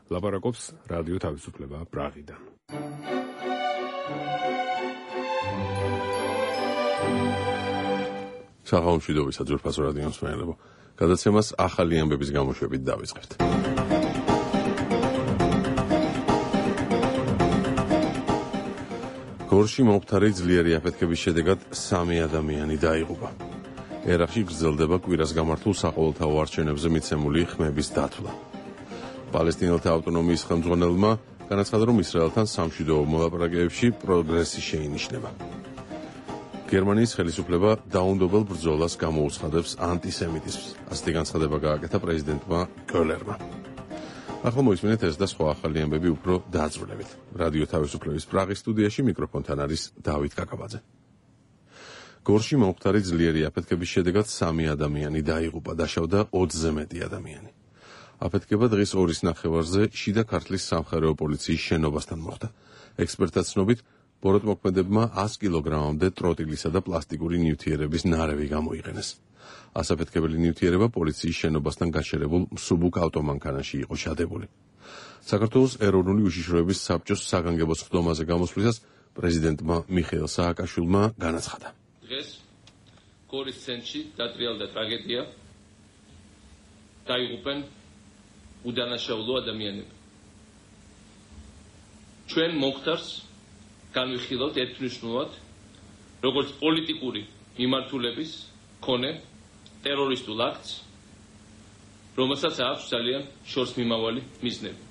ლაპარაკობს რადიო თავისუფლება პრაღიდან. საღამომშვიდობისა ძვირფასო რადიო მსმენელებო. გადაცემას ახალი ამბების გამოშვებით დავიწყებთ. გორში მომხდარი ძლიერი აფეთქების შედეგად 3 ადამიანი დაიღუპა. ერაყში გრძელდება კვირას გამართულ საყოველთაო არჩევნებზე მიცემული ხმების დათვლა. პალესტინელთა ავტონომიის ხელმძღვანელმა განაცხადა, რომ ისრაელთან სამშვიდობო მოლაპარაკებებში პროგრესი შეინიშნება. გერმანიის ხელისუფლება დაუნდობელ ბრძოლას გამოუცხადებს ანტისემიტიზმს. ასეთი განცხადება გააკეთა პრეზიდენტმა კოლერმა. ახლა მოისმინეთ ეს და სხვა ახალი ამბები უფრო დაწვრილებით. რადიო თავისუფლების პრაღის სტუდიაში მიკროფონთან არის დავით კაკაბაძე. გორში მომხდარი ძლიერი აფეთქების შედეგად 3 ადამიანი დაიღუპა, დაშავდა 20-ზე მეტი ადამიანი. აფეთქება დღის 2-ის ნახევარზე შიდა ქართლის სამხარეო პოლიციის შენობასთან მოხდა. ექსპერტთა ცნობით, ბოროტმოქმედებმა 100 კილოგრამამდე ტროტილისა და პლასტიკური ნივთიერების ნარევი გამოიყენეს. ასაფეთქებელი ნივთიერება პოლიციის შენობასთან გაშერებულ მსუბუქ ავტომანქანაში იყო ჩადებული. საქართველოს ეროვნული უშიშროების საბჭოს საგანგებო სხდომაზე გამოსვლისას პრეზიდენტმა მიხეილ სააკაშვილმა განაცხადა. დღეს გორის ცენტრში დატრიალდა ტრაგედია. დაიღუპენ უდანაშაულო ადამიანები. ჩვენ მომხდარს განვიხილავთ ერთმნიშვნელად, როგორც პოლიტიკური მიმართულების მქონე ტერორისტულ აქტს, რომელსაც აქვს ძალიან შორსმიმავალი მიზნები.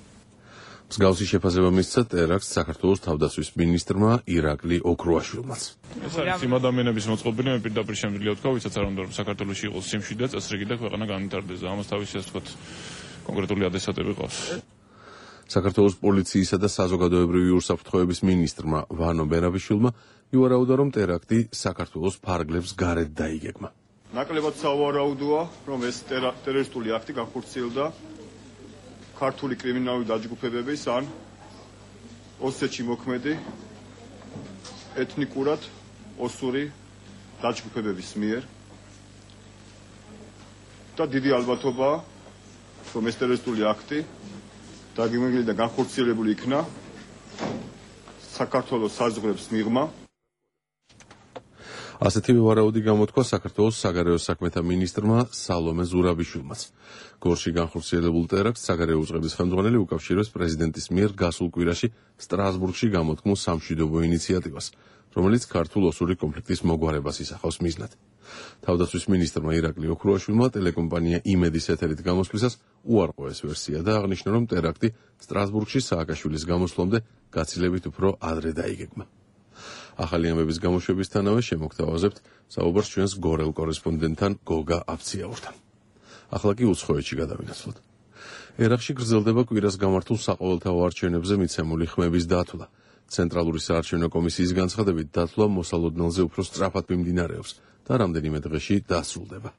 მსგავსი შეფასება მისცა ტერაქტს საქართველოს თავდაცვის მინისტრმა ირაკლი ოქრუაშვილმაც. ეს არის იმ ადამიანების მოწყობილი, მე პირდაპირ შემიძლია ვთქვა, ვისაც არ უნდა რომ საქართველოში იყოს სიმშვიდე, წესრიგი და ქვეყანა განვითარდეს და ამას თავისი ასე ვთქვათ კონკრეტული ადრესატები ყავს. საქართველოს პოლიციისა და საზოგადოებრივი უსაფრთხოების მინისტრმა ვანო ბერაბიშვილმა ივარაუდა, რომ ტერაქტი საქართველოს ფარგლებს გარეთ დაიგეგმა. ნაკლებად სავარაუდოა, რომ ეს ტერორისტული აქტი განხორციელდა ქართული კრიმინალური დაჯგუფებების ან ოსეთში მოქმედი ეთნიკურად ოსური დაჯგუფებების მიერ და დიდი ალბათობაა, რომ ეს ტერორისტული აქტი დაგეგმილი და განხორციელებული იქნა საქართველოს საზღვრებს მიღმა. ასეთივე ვარაუდი გამოთქვა საქართველოს საგარეო საქმეთა მინისტრმა სალომე ზურაბიშვილმაც. გორში განხორციელებულ ტერაქტს საგარეო უწყების ხელმძღვანელი უკავშირებს პრეზიდენტის მიერ გასულ კვირაში სტრასბურგში გამოთქმულ სამშვიდობო ინიციატივას, რომელიც ქართულ-ოსური კონფლიქტის მოგვარებას ისახავს მიზნად. თავდაცვის მინისტრმა ირაკლი ოქრუაშვილმა ტელეკომპანია იმედის ეთერით გამოსვლისას უარყო ეს ვერსია და აღნიშნა, რომ ტერაქტი სტრასბურგში სააკაშვილის გამოსვლამდე გაცილებით უფრო ადრე დაიგეგმა. ახალი ამბების გამოშვებისთანავე შემოგთავაზებთ საუბარს ჩვენს გორელ კორესპონდენტთან გოგა აფციაურთან. ახლა კი უცხოეთში გადავინაცვლოთ. ერაყში გრძელდება კვირას გამართულ საყოველთაო არჩევნებზე მიცემული ხმების დათვლა. ცენტრალური საარჩევნო კომისიის განცხადებით, დათვლა მოსალოდნელზე უფრო სწრაფად მიმდინარეობს და რამდენიმე დღეში დასრულდება.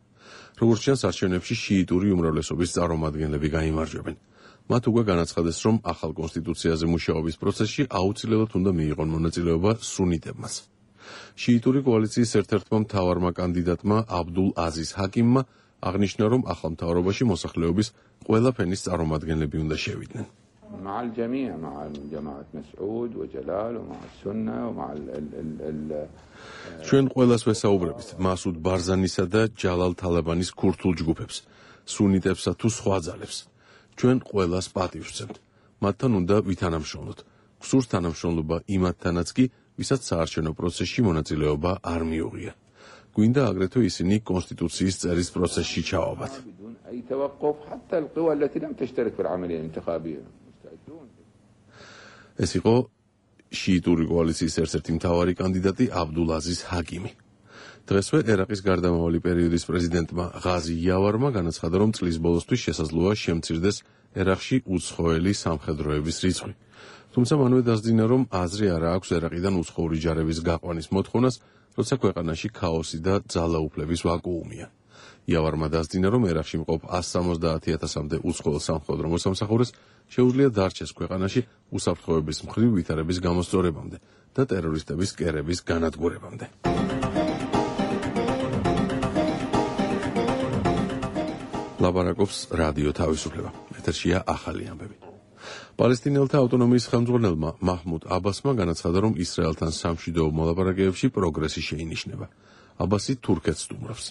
როგორც ჩანს, არჩევნებში შიიტური უმრავლესობის წარმომადგენლები გაიმარჯვებენ. მათ უკვე განაცხადეს, რომ ახალ კონსტიტუციაზე მუშაობის პროცესში აუცილებლად უნდა მიიღონ მონაწილეობა სუნიტებმაც. შიიტური კოალიციის ერთ-ერთმა მთავარმა კანდიდატმა აბდულ აზიზ ჰაკიმმა აღნიშნა, რომ ახალ მთავრობაში მოსახლეობის ყველა ფენის წარმომადგენლები უნდა შევიდნენ. مع الجميع مع جماعة مسعود وجلال ومع السنة ومع ჩვენ ყველას ვესაუბრებით, მასუდ ბარზანისა და ჯალალ თალაბანის ქურთულ ჯგუფებს, სუნიტებსა თუ სხვა ძალებს. ჩვენ ყველას პატივს ვცემთ. მათთან უნდა ვითანამშრომლოთ. გსურს თანამშრომლობა იმათთანაც კი, ვისაც საარჩევნო პროცესში მონაწილეობა არ მიუღია. გვინდა აგრეთვე ისინი კონსტიტუციის წერის პროცესში ჩავაბათ. ეს იყო შიიტური კოალიციის ერთ-ერთი მთავარი კანდიდატი აბდულ აზიზ ჰაკიმი. დღესვე ერაყის გარდამავალი პერიოდის პრეზიდენტმა ღაზი იავარმა განაცხადა, რომ წლის ბოლოსთვის შესაძლოა შემცირდეს ერაყში უცხოელი სამხედროების რიცხვი. თუმცა მანვე დასძინა, რომ აზრი არ აქვს ერაყიდან უცხოური ჯარების გაყვანის მოთხოვნას, როცა ქვეყანაში ქაოსი და ძალაუფლების ვაკუუმია. იავარმა დასძინა, რომ ერაყში მყოფ 170,000-მდე უცხოელ სამხედრო მოსამსახურეს შეუძლია დარჩეს ქვეყანაში უსაფრთხოების მხრივ ვითარების გამოსწორებამდე და ტერორისტების კერების განადგურებამდე. ლაპარაკობს რადიო თავისუფლება. ეთერშია ახალი ამბები. პალესტინელთა ავტონომიის ხელმძღვანელმა მაჰმუდ აბასმა განაცხადა, რომ ისრაელთან სამშვიდობო მოლაპარაკებებში პროგრესი შეინიშნება. აბასი თურქეთს სტუმრობს.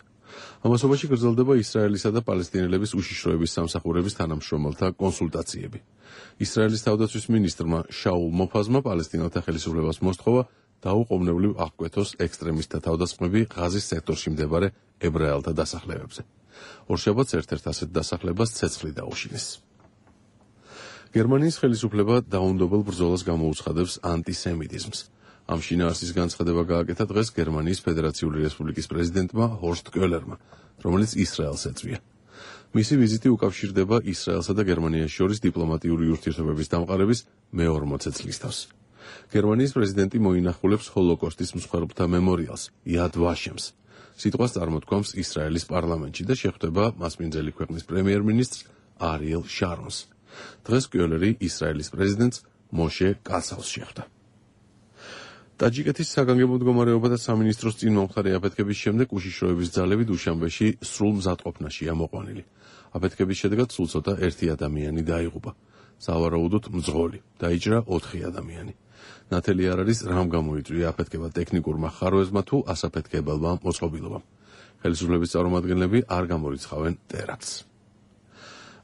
ამასობაში გრძელდება ისრაელისა და პალესტინელების უშიშროების სამსახურების თანამშრომელთა კონსულტაციები. ისრაელის თავდაცვის მინისტრმა შაულ მოფაზმა პალესტინელთა ხელისუფლებას მოსთხოვა დაუყოვნებლივ აღკვეთოს ექსტრემისტთა თავდასხმები ღაზის სექტორში მდებარე ებრაელთა დასახლებებზე. ორშაბათს ერთ-ერთ ასეთ დასახლებას ცეცხლი დაუშინეს. გერმანიის ხელისუფლება დაუნდობელ ბრძოლას გამოუცხადებს ანტისემიტიზმს. ამ შინაარსის განცხადება გააკეთა დღეს გერმანიის ფედერაციული რესპუბლიკის პრეზიდენტმა ჰორსტ კოლერმა, რომელიც ისრაელს ეწვია. მისი ვიზიტი უკავშირდება ისრაელსა და გერმანიას შორის დიპლომატიური ურთიერთობების დამყარების მე-40 წლის თავს. გერმანიის პრეზიდენტი მოინახულებს ჰოლოკოსტის მსხვერპლთა მემორიალს, იად ვაშემს. სიტყვას წარმოთქვამს ისრაელის პარლამენტში და შეხვდება მასპინძელი ქვეყნის პრემიერ-მინისტრს არიელ შარონს. დღეს კოლერი ისრაელის პრეზიდენტს მოშე კასავს შეხვდა. ტაჯიკეთის საგანგებო მდგომარეობა და სამინისტროს წინ მომხდარი აფეთქების შემდეგ უშიშროების ძალები დუშანბეში სრულ მზადყოფნაშია მოყვანილი. აფეთქების შედეგად სულ ცოტა 1 ადამიანი დაიღუპა. სავარაუდოდ მძღოლი, დაიჭრა 4 ადამიანი. ნათელი არ არის, რამ გამოიწვია აფეთქება ტექნიკურმა ხარვეზმა თუ ასაფეთქებელმა მოწყობილობამ. ხელისუფლების წარმომადგენლები არ გამორიცხავენ ტერაქტს.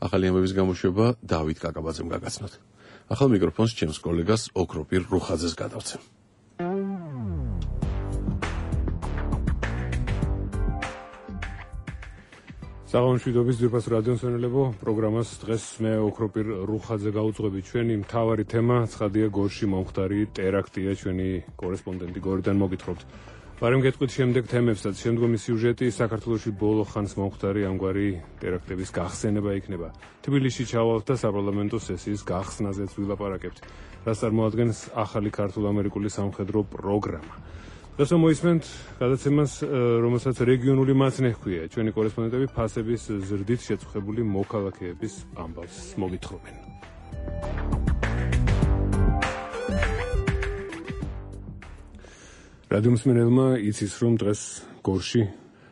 ახალი ამბების გამოშვება დავით კაკაბაძემ გაგაცნოთ. ახალ მიკროფონს ჩემს კოლეგას ოქროპირ რუხაძეს გადავცემ. საღამომშვიდობის ძვირფას რადიო მსმენელებო, პროგრამას დღეს მე ოქროპირ რუხაძე გავუძღვები. ჩვენი მთავარი თემა ცხადია გორში მომხდარი ტერაქტია. ჩვენი კორესპონდენტი გორიდან მოგითხრობთ. ბარემ გეტყვით შემდეგ თემებსაც. შემდგომი სიუჟეტი საქართველოში ბოლო ხანს მომხდარი ამგვარი ტერაქტების გახსენება იქნება. თბილისში ჩავალთ და საპარლამენტო სესიის გახსნაზეც ვილაპარაკებთ. რაც წარმოადგენს ახალი ქართულ-ამერიკული სამხედრო პროგრამა. დღეს მოისმენთ გადაცემას, რომელსაც რეგიონული მაცნე ჰქვია. ჩვენი კორესპონდენტები ფასების ზრდით შეწუხებული მოქალაქეების ამბავს მოგითხრობენ. რადიო მსმენელმა იცის, რომ დღეს გორში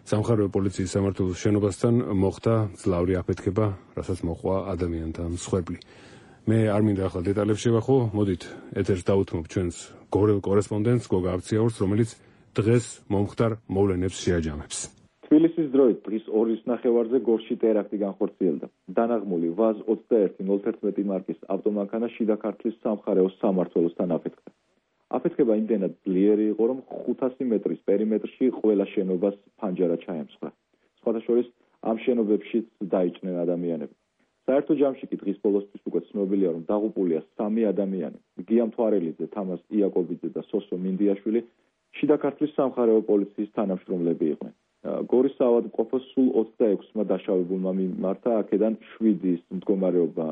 სამხარეო პოლიციის სამმართველოს შენობასთან მოხდა ძლავრი აფეთქება, რასაც მოყვა ადამიანთა მსხვერპლი. მე არ მინდა ახლა დეტალებს შევახო, მოდით ეთერს დავუთმობ ჩვენს გორელ კორესპონდენტს გოგა აბციაურს, რომელიც დღეს მომხდარ მოვლენებს შეაჯამებს. თბილისის დროით დღის 2:30 გორში ტერაქტი განხორციელდა. დანაღმული ვაზ 21-01 მარკის ავტომანქანა შიდა ქართლის სამხარეო სამმართველოსთან აფეთქდა. აფეთქება იმდენად ძლიერი იყო, რომ 500 მეტრის პერიმეტრში ყველა შენობას ფანჯარა ჩაემსხვრა. სხვათა შორის ამ შენობებშიც დაიჭნენ ადამიანები. საერთო ჯამში კი დღის ბოლოსთვის უკვე ცნობილია, რომ დაღუპულია 3 ადამიანი. გია მთვარელიძე, თამას იაკობიძე და სოსო მინდიაშვილი შიდა ქართლის სამხარეო პოლიციის თანამშრომლები იყვნენ. გორის საავადმყოფოს სულ 26-მა დაშავებულმა მიმართა, აქედან 7-ის მდგომარეობა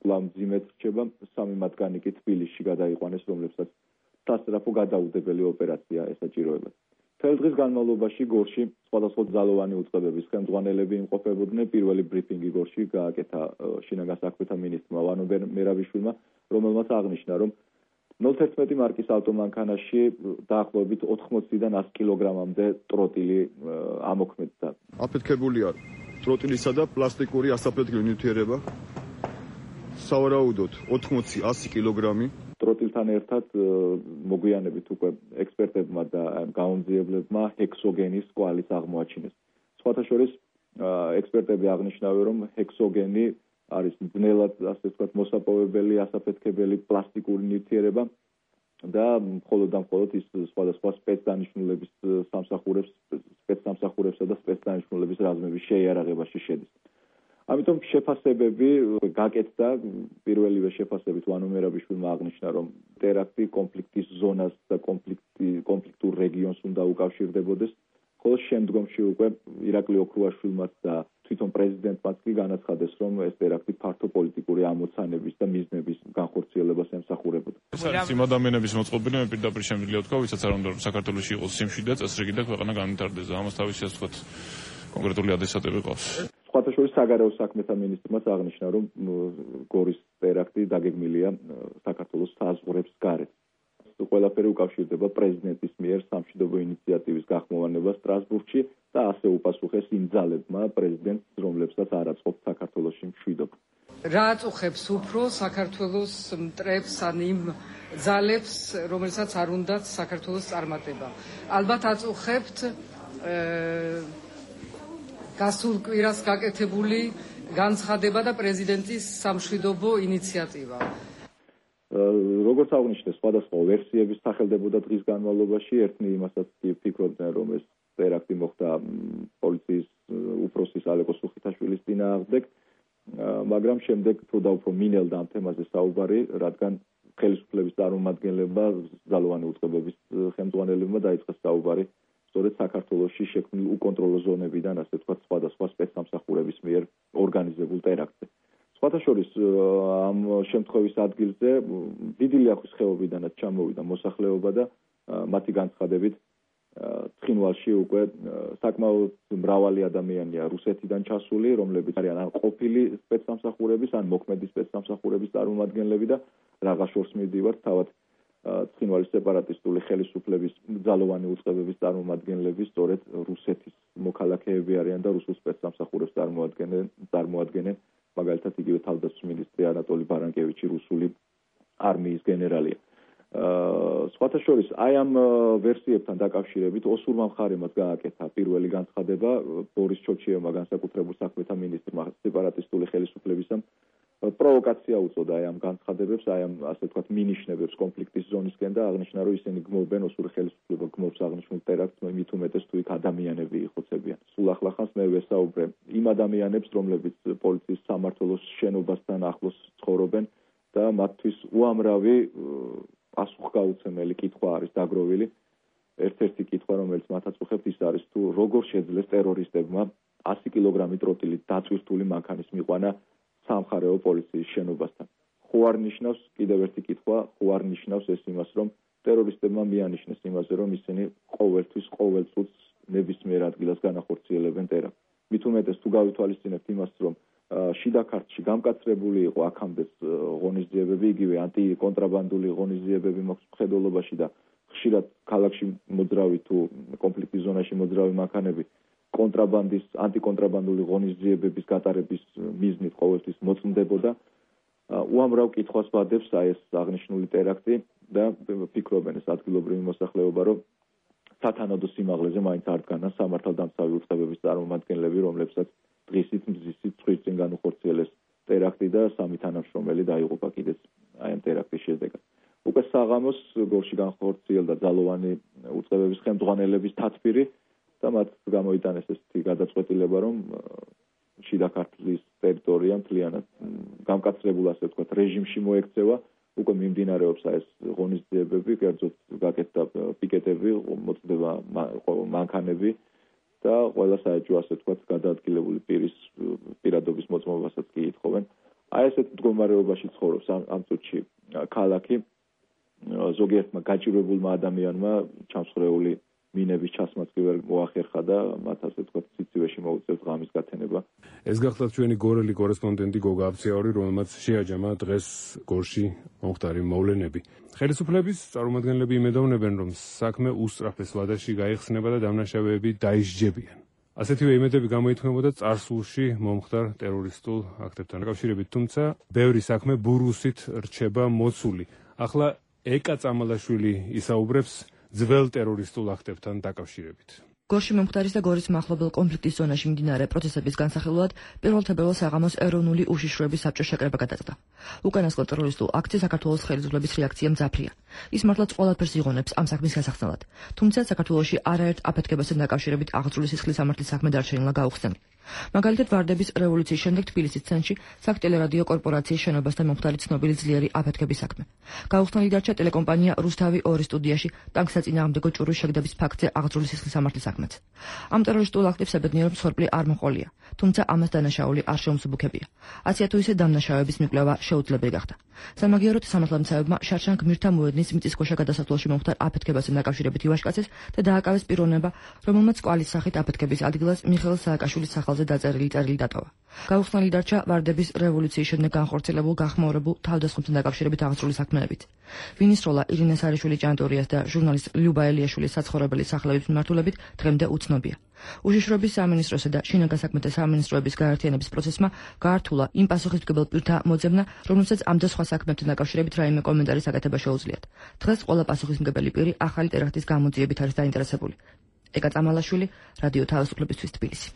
კვლავ მძიმედ რჩება, 3 მათგანი კი თბილისში გადაიყვანეს, რომლებსაც სასწრაფო გადაუდებელი ოპერაცია ესაჭიროებათ. მთელ დღის განმავლობაში გორში სხვადასხვა ძალოვანი უწყებების ხელმძღვანელები იმყოფებოდნენ. პირველი ბრიფინგი გორში გააკეთა შინაგან საქმეთა მინისტრმა ვანო მერაბიშვილმა, რომელმაც აღნიშნა, რომ 01 მარკის ავტომანქანაში დაახლოებით 80-დან 100 კილოგრამამდე ტროტილი ამოქმედდა. აფეთქებულია ტროტილისა და პლასტიკური ასაფეთქებელი ნივთიერება. სავარაუდოდ 80-100 კილოგრამი. ტროტილთან ერთად მოგვიანებით უკვე ექსპერტებმა და გაუმძიებლებმა ჰექსოგენის კვალიც აღმოაჩინეს. სხვათა შორის ექსპერტები აღნიშნავენ, რომ ჰექსოგენი არის ძნელად, ასე ვთქვათ, მოსაპოვებელი, ასაფეთქებელი პლასტიკური ნივთიერება და მხოლოდ და მხოლოდ ის სხვადასხვა სპეცდანიშნულების სამსახურებსა და სპეცდანიშნულების რაზმების შეიარაღებაში შედის. ამიტომ შეფასებები გაკეთდა. პირველივე შეფასებით ვანო მერაბიშვილმა აღნიშნა, რომ ტერაქტი კონფლიქტის ზონას და კონფლიქტურ რეგიონს უნდა უკავშირდებოდეს, ხოლო შემდგომში უკვე ირაკლი ოქრუაშვილმაც და თვითონ პრეზიდენტმაც კი განაცხადეს, რომ ეს ტერაქტი ფართო პოლიტიკური ამოცანების და მიზნების განხორციელებას ემსახურებოდა. ეს არის იმ ადამიანების მოწყობილი, მე პირდაპირ შემიძლია ვთქვა, ვისაც არ უნდა რომ საქართველოში იყოს სიმშვიდე, წესრიგი და ქვეყანა განვითარდეს. ამას თავისი ასე ვთქვათ კონკრეტული ადრესატები ყავს. სხვათა შორის საგარეო საქმეთა მინისტრმაც აღნიშნა, რომ გორის ტერაქტი დაგეგმილია საქართველოს საზღვრებს გარეთ. ყველაფერი უკავშირდება პრეზიდენტის მიერ სამშვიდობო ინიციატივის გახმოვანებას სტრასბურგში და ასე უპასუხეს იმ ძალებმა პრეზიდენტს, რომლებსაც არ აწყობს საქართველოში მშვიდობა. რა აწუხებს უფრო საქართველოს მტრებს ან იმ ძალებს, რომელსაც არ უნდათ საქართველოს წარმატება? ალბათ აწუხებთ გასულ კვირას გაკეთებული განცხადება და პრეზიდენტის სამშვიდობო ინიციატივა. როგორც აღნიშნეს, სხვადასხვა ვერსიების სახელდებოდა დღის განმავლობაში. ერთნი იმასაც ფიქრობდნენ, რომ ეს ტერაქტი მოხდა პოლიციის უფროსის ალეკო სუხითაშვილის წინააღმდეგ, მაგრამ შემდეგ უფრო და უფრო მინელდა ამ თემაზე საუბარი, რადგან ხელისუფლების წარმომადგენლებმა, ძალოვანი უწყებების ხელმძღვანელებმა დაიწყეს საუბარი სწორედ საქართველოში შექმნილ უკონტროლო ზონებიდან, ასე ვთქვათ, სხვადასხვა სპეცსამსახურების მიერ ორგანიზებულ ტერაქტზე. სხვათა შორის ამ შემთხვევის ადგილზე დიდი ლიახვის ხეობიდანაც ჩამოვიდა მოსახლეობა და მათი განცხადებით ცხინვალში უკვე საკმაოდ მრავალი ადამიანია რუსეთიდან ჩასული, რომლებიც არიან ან ყოფილი სპეცსამსახურების, ან მოქმედი სპეცსამსახურების წარმომადგენლები და რაღა შორს მივდივართ, თავად ცხინვალის სეპარატისტული ხელისუფლების ძალოვანი უწყებების წარმომადგენლები სწორედ რუსეთის მოქალაქეები არიან და რუსულ სპეცსამსახურებს წარმოადგენენ. მაგალითად იგივე თავდაცვის მინისტრი ანატოლი ბარანკევიჩი რუსული არმიის გენერალია. სხვათა შორის აი ამ ვერსიებთან დაკავშირებით ოსურმა მხარემაც გააკეთა პირველი განცხადება ბორის ჩოჩიევმა, განსაკუთრებულ საქმეთა მინისტრმა სეპარატისტული ხელისუფლებისამ პროვოკაცია უწოდა აი ამ განცხადებებს, აი ამ ასე ვთქვათ მინიშნებებს კონფლიქტის ზონისკენ და აღნიშნა, რომ ისინი გმობენ ოსური ხელისუფლება გმობს აღნიშნულ ტერაქტს, მით უმეტეს თუ იქ ადამიანები იხოცებიან. სულ ახლახანს მე ვესაუბრე იმ ადამიანებს, რომლებიც პოლიციის სამმართველოს შენობასთან ახლოს ცხოვრობენ და მათთვის უამრავი პასუხგაუცემელი კითხვა არის დაგროვილი. ერთ-ერთი კითხვა, რომელიც მათ აწუხებთ, ის არის თუ როგორ შეძლეს ტერორისტებმა 100 კილოგრამი ტროტილით დაწვირთული მანქანის მიყვანა სამხარეო პოლიციის შენობასთან. ხო არ ნიშნავს, კიდევ ერთი კითხვა, ხო არ ნიშნავს ეს იმას, რომ ტერორისტებმა მიანიშნეს იმაზე, რომ ისინი ყოველთვის ყოველ წუთს ნებისმიერ ადგილას განახორციელებენ ტერაქტს. მით უმეტეს თუ გავითვალისწინებთ იმას, რომ შიდა ქართლში გამკაცრებული იყო აქამდეც ღონისძიებები, იგივე ანტიკონტრაბანდული ღონისძიებები მაქვს მხედველობაში და ხშირად ქალაქში მოძრავი თუ კონფლიქტის ზონაში მოძრავი მანქანები ანტიკონტრაბანდული ღონისძიებების გატარების მიზნით ყოველთვის მოწმდებოდა. უამრავ კითხვას ვადებს აი ეს აღნიშნული ტერაქტი და ფიქრობენ ეს ადგილობრივი მოსახლეობა, რომ სათანადო სიმაღლეზე მაინც არ დგანან სამართალდამცავი უწყებების წარმომადგენლები, რომლებსაც დღისით მზისით წვირწინ განუხორციელეს ტერაქტი და 3 თანამშრომელი დაიღუპა კიდეც აი ამ ტერაქტის შედეგად. უკვე საღამოს გორში განხორციელდა ძალოვანი უწყებების ხელმძღვანელების თათბირი და მათ გამოიტანეს ესეთი გადაწყვეტილება, რომ შიდა ქართლის ტერიტორია მთლიანად გამკაცრებულ, ასე ვთქვათ, რეჟიმში მოექცევა. უკვე მიმდინარეობს ეს ღონისძიებები, კერძოდ გაკეთდა პიკეტები, მოწდება მანქანები და ყველა საეჭვო, ასე ვთქვათ, გადაადგილებული პირის პირადობის მოწმობასაც კი ითხოვენ. აი ესეთ მდგომარეობაში ცხოვრობს ამ წუთში ქალაქი. ზოგიერთმა გაჭირვებულმა ადამიანმა ჩამსხვრეული მინების ჩასმაც კი ვერ მოახერხა და მათ ასე ვთქვათ სიცივეში მოუწევთ ღამის გათენება. ეს გახლავთ ჩვენი გორელი კორესპონდენტი გოგა აბციაური, რომელმაც შეაჯამა დღეს გორში მომხდარი მოვლენები. ხელისუფლების წარმომადგენლები იმედოვნებენ, რომ საქმე უსწრაფეს ვადაში გაიხსნება და დამნაშავეები დაისჯებიან. ასეთივე იმედები გამოითქმებოდა წარსულში მომხდარ ტერორისტულ აქტებთან დაკავშირებით, თუმცა ბევრი საქმე ბურუსით რჩება მოცული. ახლა ეკა წამალაშვილი ისაუბრებს ძველ ტერორისტულ აქტებთან დაკავშირებით. გორში მომხდარის და გორის მახლობელ კონფლიქტის ზონაში მიმდინარე პროცესების განსახილველად 1 თებერვალს საღამოს ეროვნული უშიშროების საბჭოს შეკრება გადაწყდა. უკანასკნელ ტერორისტულ აქტზე საქართველოს ხელისუფლების რეაქცია მძაფრია. ის მართლაც ყველაფერს იღონებს ამ საქმის გასახსნელად. თუმცა საქართველოში არაერთ აფეთქებასთან დაკავშირებით აღძრული სისხლის სამართლის საქმე დარჩენილა გაუხსნელი. მაგალითად, ვარდების რევოლუციის შემდეგ თბილისის ცენტრში საქტელერადიო კორპორაციის შენობასთან მომხდარი ცნობილი ძლიერი აფეთქების საქმე. გაუხსნელი დარჩა ტელეკომპანია რუსთავი 2 სტუდიაში ტანკსაწინააღმდეგო ჭურვის შეგდების ფაქტზე აღძრული სისხლის სამართლის საქმეც. ამ ტერორისტულ აქტებს საბედნიეროდ მსხვერპლი არ მოყოლია, თუმცა ამას დანაშაული არ შეუმსუბუქებია. ასეა თუ ისე დამნაშავეების მიკვლევა შეუძლებელი გახდა. სამაგიეროდ სამართალმცავებმა შარშან გმირთა მოედნის მიწისქვეშა გადასასვლელში მომხდარ აფეთქებასთან დაკავშირებით ივაშკაცეს და დააკავეს პიროვნება, რომელმაც კვალის სახით აფეთქების ადგილას მიხეილ სააკაშვილის სახელზე დაწერილი წერილი დატოვა. გაუხსნელი დარჩა ვარდების რევოლუციის შემდეგ განხორციელებულ გახმაურებულ თავდასხმებთან დაკავშირებით აღძრული საქმეებით. ვინის როლა ირინე სარიშვილი ჭანტურიას და ჟურნალისტ ლიუბა ელიაშვილის საცხოვრებელი სახლების მიმართულებით დღემდე უცნობია. უშიშროების სამინისტროსა და შინაგან საქმეთა სამინისტროების გაერთიანების პროცესმა გაართულა იმ პასუხისმგებელ პირთა მოძებნა, რომელსაც ამ და სხვა საქმეებთან დაკავშირებით რაიმე კომენტარის გაკეთება შეუძლიათ. დღეს ყველა პასუხისმგებელი პირი ახალი ტერაქტის გამოძიებით არის დაინტერესებული. ეკა წამალაშვილი, რადიო თავისუფლებისთვის თბილისი.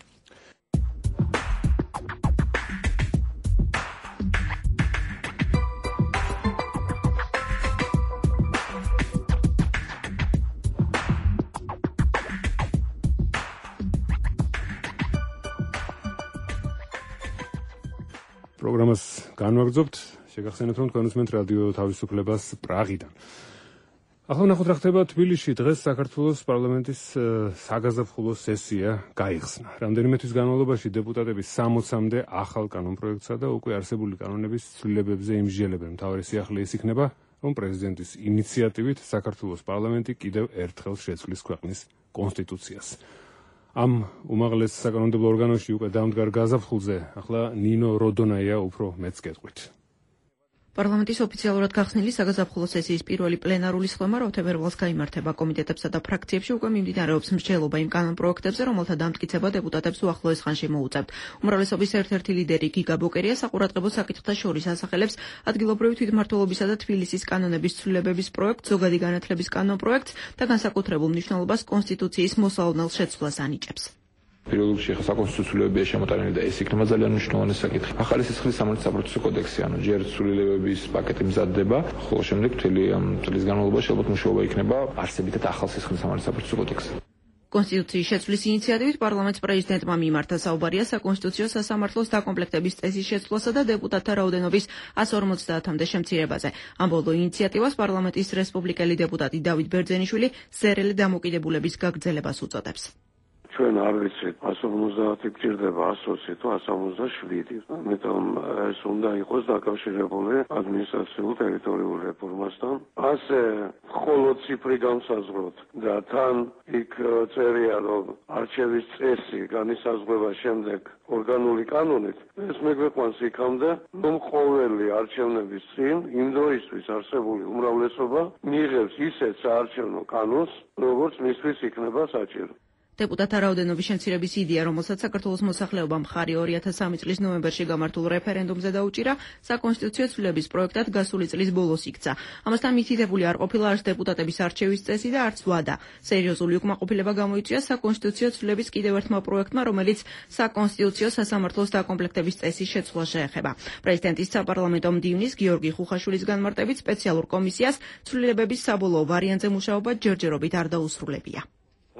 პროგრამას განვაგრძობთ. შეგახსენებთ, რომ თქვენ უსმენთ რადიო თავისუფლებას პრაღიდან. ახლა ნახოთ რა ხდება თბილისში. დღეს საქართველოს პარლამენტის საგაზაფხულო სესია გაიხსნა. რამდენიმე თვის განმავლობაში დეპუტატები 60-მდე ახალ კანონპროექტსა და უკვე არსებული კანონების ცვლილებებზე იმსჯელებენ. მთავარი სიახლე ის იქნება, რომ პრეზიდენტის ინიციატივით საქართველოს პარლამენტი კიდევ ერთხელ შეცვლის ქვეყნის კონსტიტუციას. ამ უმაღლეს საკანონმდებლო ორგანოში უკვე დამდგარ გაზაფხულზე ახლა ნინო როდონაია უფრო მეც გეტყვით. პარლამენტის ოფიციალურად გახსნილი საგაზაფხულო სესიის პირველი პლენარული სხდომა თებერვალს გაიმართება. კომიტეტებსა და ფრაქციებში უკვე მიმდინარეობს მსჯელობა იმ კანონპროექტებზე, რომელთა დამტკიცება დეპუტატებს უახლოეს ხანში მოუწევთ. უმრავლესობის ერთ-ერთი ლიდერი გიგა ბოკერია საყურადღებო საკითხთა შორის ასახელებს ადგილობრივი თვითმმართველობისა და თბილისის კანონების ცვლილებების პროექტს, ზოგადი განათლების კანონპროექტს და განსაკუთრებულ მნიშვნელობას კონსტიტუციის მოსალოდნელ შეცვლას ანიჭებს. პირველ რიგში საკონსტიტუციურია შემოტანილი და ეს იქნება ძალიან მნიშვნელოვანი საკითხი. ახალი სისხლის სამართლის საპროცესო კოდექსი, ანუ ჯერ ცვლილებების პაკეტი მზადდება, ხოლო შემდეგ მთელი ამ წლის განმავლობაში ალბათ მუშაობა იქნება არსებითად ახალ სისხლის სამართლის საპროცესო კოდექსზე. კონსტიტუციის შეცვლის ინიციატივით პარლამენტს პრეზიდენტმა მიმართა საუბარია საკონსტიტუციო სასამართლოს დაკომპლექტების წესის შეცვლასა და დეპუტატთა რაოდენობის 150-მდე შემცირებაზე. ამ ბოლო ინიციატივას პარლამენტის რესპუბლიკელი დეპუტატი დავით ბერძენიშვილი ზერელი დამოკიდებულების გაგრძელებას უწოდებს. ჩვენ არ ვიცით 150 გჭირდება 120 თუ 157, ამიტომ ეს უნდა იყოს დაკავშირებული ადმინისტრაციულ ტერიტორიულ რეფორმასთან. ასე მხოლოდ ციფრი განსაზღვროთ და თან იქ წერია, რომ არჩევის წესი განისაზღვრება შემდეგ ორგანული კანონით, ეს მეგვიყვანს იქამდე, რომ ყოველი არჩევნების წინ იმ დროისთვის არსებული უმრავლესობა მიიღებს ისეთ საარჩევნო კანონს, როგორც მისთვის იქნება საჭირო. დეპუტატთა რაოდენობის შემცირების იდეა, რომელსაც საქართველოს მოსახლეობა მხარი 2003 წლის ნოემბერში გამართულ რეფერენდუმზე დაუჭირა, საკონსტიტუციო ცვლილების პროექტად გასული წლის ბოლოს იქცა. ამასთან მითითებული არ ყოფილა არც დეპუტატების არჩევის წესი და არც ვადა. სერიოზული უკმაყოფილება გამოიწვია საკონსტიტუციო ცვლილების კიდევ ერთმა პროექტმა, რომელიც საკონსტიტუციო სასამართლოს დაკომპლექტების წესის შეცვლას შეეხება. პრეზიდენტის საპარლამენტო მდივნის გიორგი ხუხაშვილის განმარტებით სპეციალურ კომისიას ცვლილებების საბოლოო ვარიანტზე მუშაობა ჯერჯერობით არ დაუსრულებია.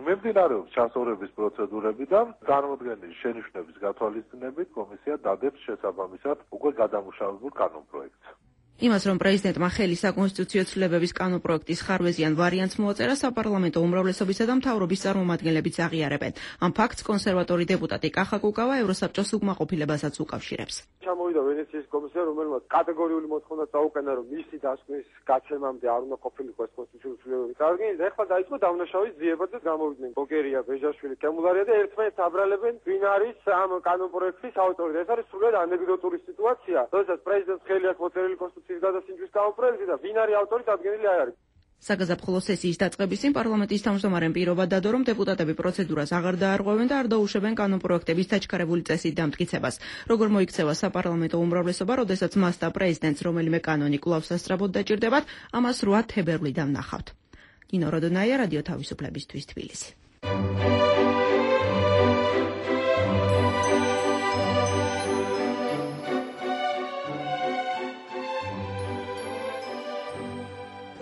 მიმდინარეობს ჩასწორების პროცედურები და წარმოდგენილი შენიშვნების გათვალისწინებით კომისია დადებს შესაბამისად უკვე გადამუშავებულ კანონპროექტს. იმას, რომ პრეზიდენტმა ხელი საკონსტიტუციო ცვლილებების კანონპროექტის ხარვეზიან ვარიანტს მოაწერა, საპარლამენტო უმრავლესობისა და მთავრობის წარმომადგენლებიც აღიარებენ. ამ ფაქტს კონსერვატორი დეპუტატი კახა კუკავა ევროსაბჭოს უკმაყოფილებასაც უკავშირებს. ჩამოვიდა ვენეციის კომისია, რომელმაც კატეგორიული მოთხოვნა წაუკენა, რომ მისი დასკვნის გაცემამდე არ უნდა ყოფილიყო ეს კონსტიტუციური ცვლილებების წარდგენა და ეხლა დაიწყო დავნაშავის ძიება და გამოვიდნენ ბოკერია, ბეჟაშვილი, კემულარია და ერთმანეთს აბრალებენ ვინ არის ამ კანონპროექტის ავტორი. ეს არის სრულად ანეკდოტური სიტუაცია, როდესაც პრეზიდენტს ხელი აქვს მოწერილი კონსტიტუციის გადასინჯვის კანონპროექტი და ვინ არის ავტორი დადგენილი არ არის. საგაზაფხულო სესიის დაწყების წინ პარლამენტის თავმჯდომარემ პირობა დადო, რომ დეპუტატები პროცედურას აღარ დაარღვევენ და არ დაუშვებენ კანონპროექტების დაჩქარებული წესით დამტკიცებას. როგორ მოიქცევა საპარლამენტო უმრავლესობა, როდესაც მას და პრეზიდენტს რომელიმე კანონი კვლავ სასწრაფოდ დაჭირდებათ, ამას 8 თებერვლიდან ნახავთ. ნინო როდონაია, რადიო თავისუფლებისთვის თბილისი.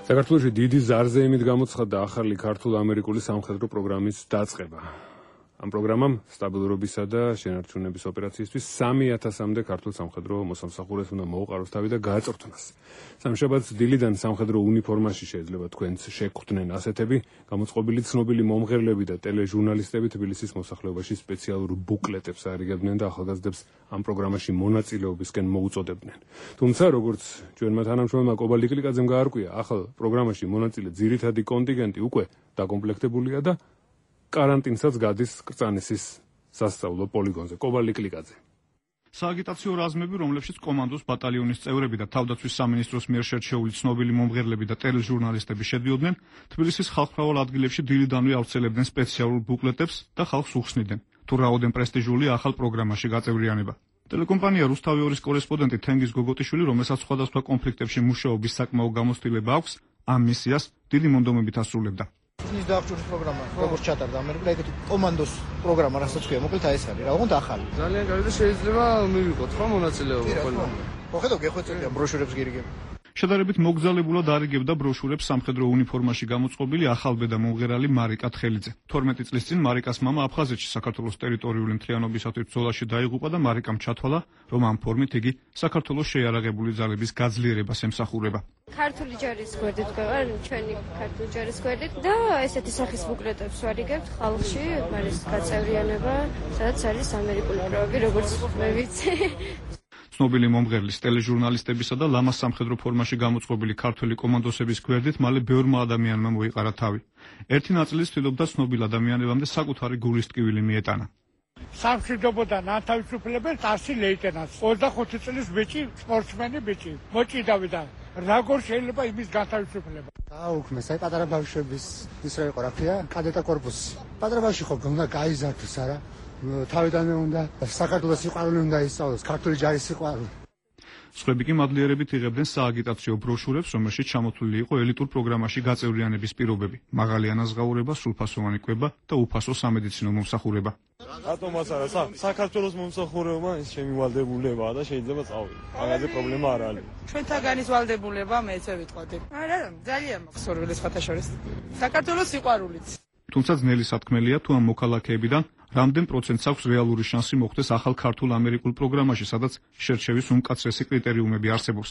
საქართველოში დიდი ზარზე იმით გამოცხადდა ახალი ქართულ-ამერიკული სამხედრო პროგრამის დაწყება. ამ პროგრამამ სტაბილურობისა და შენარჩუნების ოპერაციისთვის 3000-მდე ქართულ სამხედრო მოსამსახურეს უნდა მოუყაროს თავი და გააწორთნას. სამშაბათს დილიდან სამხედრო უნიფორმაში შეიძლება თქვენც შეგხვდნენ ასეთები, გამოწყობილი ცნობილი მომღერლები და ტელეჟურნალისტები თბილისის მოსახლეობაში სპეციალურ ბუკლეტებს არიგებდნენ და ახალგაზრდებს ამ პროგრამაში მონაწილეობისკენ მოუწოდებდნენ. თუმცა, როგორც ჩვენმა თანამშრომელმა კობალ ლიკლიკაძემ გაარკვია, ახალ პროგრამაში მონაწილე ძირითადი კონტინგენტი უკვე დაკომპლექტებულია და карантинსაც გადის კრწანისის სასწავლო პოლიგონზე. კობალ ლიკლიკაძე. სააგიტაციო რაზმები, რომლებშიც კომანდოს ბატალიონის წევრები და თავდაცვის სამინისტროს მიერ შერჩეული ცნობილი მომღერლები და ტელეჟურნალისტები შედიოდნენ, თბილისის ხალხმრავალ ადგილებში დილიდანვე ავრცელებდნენ სპეციალურ ბუკლეტებს და ხალხს უხსნიდნენ, თუ რაოდენ პრესტიჟულია ახალ პროგრამაში გაწევრიანება. ტელეკომპანია რუსთავი 2-ის კორესპონდენტი თენგიზ გოგოტიშვილი, რომელსაც სხვადასხვა კონფლიქტებში მუშაობის საკმაო გამოცდილება აქვს, ამ მისიას დიდი მონდომებით ასრულებდა. ის დაახჭურის პროგრამა, როგორც ჩატარდა ამერიკა, ეგეთი კომანდოს პროგრამა, რასაც ქვია, მოკლედ აი ეს არის, რა უნდა ახალი. ძალიან კარგი და შეიძლება მივიღოთ ხო მონაწილეობა ყველა. მოხედავ გეხვეწებიან ბროშურებს გირიგებ. შედარებით მოგზაურებულად არიგებდა ბროშურებს სამხედრო უნიფორმაში გამოწყობილი ახალბედა მომღერალი მარიკა თხელიძე. 12 წლის წინ მარიკას მამა აფხაზეთში საქართველოს ტერიტორიული მთლიანობისათვის ბრძოლაში დაიღუპა და მარიკამ ჩათვალა, რომ ამ ფორმით იგი საქართველოს შეიარაღებული ძალების გაძლიერებას ემსახურება. ქართული ჯარის გვერდით გვევარ, ჩვენი ქართული ჯარის გვერდით და ესეთი სახის ბუკლეტებს ვარიგებთ ხალხში, არის გაწევრიანება, სადაც არის ამერიკული პროები, როგორც მე ვიცი. ცნობილი მომღერლის, ტელეჟურნალისტებისა და ლამას სამხედრო ფორმაში გამოწყობილი ქართველი კომანდოსების გვერდით მალე ბევრმა ადამიანმა მოიყარა თავი. ერთი ნაწილი ცდილობდა ცნობილ ადამიანებამდე საკუთარი გულის ტკივილი მიეტანა. სამშვიდობოდან ანთავისუფლებელს 100 ლეიტენანტს, 25 წლის ბიჭი, სპორტსმენი ბიჭი, მოჭიდავდა. როგორ შეიძლება იმის განთავისუფლება? დაუქმეს, აი პატარა ბავშვების ის რა იყო, რა ქვია, კადეტა კორპუსი. პატარა ბავშვი ხო უნდა გაიზარდოს, არა? თავიდანვე უნდა საქართველოს სიყვარული უნდა ისწავლოს, ქართული ჯარის სიყვარული. სხვები კი მადლიერებით იღებდნენ სააგიტაციო ბროშურებს, რომელშიც ჩამოთვლილი იყო ელიტურ პროგრამაში გაწევრიანების პირობები, მაღალი ანაზღაურება, სრულფასოვანი კვება და უფასო სამედიცინო მომსახურება. რატომაც არა, საქართველოს მომსახურება ის ჩემი ვალდებულებაა და შეიძლება წავიდე. მაგაზე პრობლემა არ არის. ჩვენთაგანის ვალდებულება მე ესე ვიტყოდი. არა, ძალიან მაქვს ორველე სხვათა შორის. საქართველოს სიყვარულით. თუმცა ძნელი სათქმელია, თუ ამ მოქალაქეებიდან რამდენ პროცენტს აქვს რეალური შანსი მოხდეს ახალ ქართულ ამერიკულ პროგრამაში, სადაც შერჩევის უმკაცრესი კრიტერიუმები არსებობს.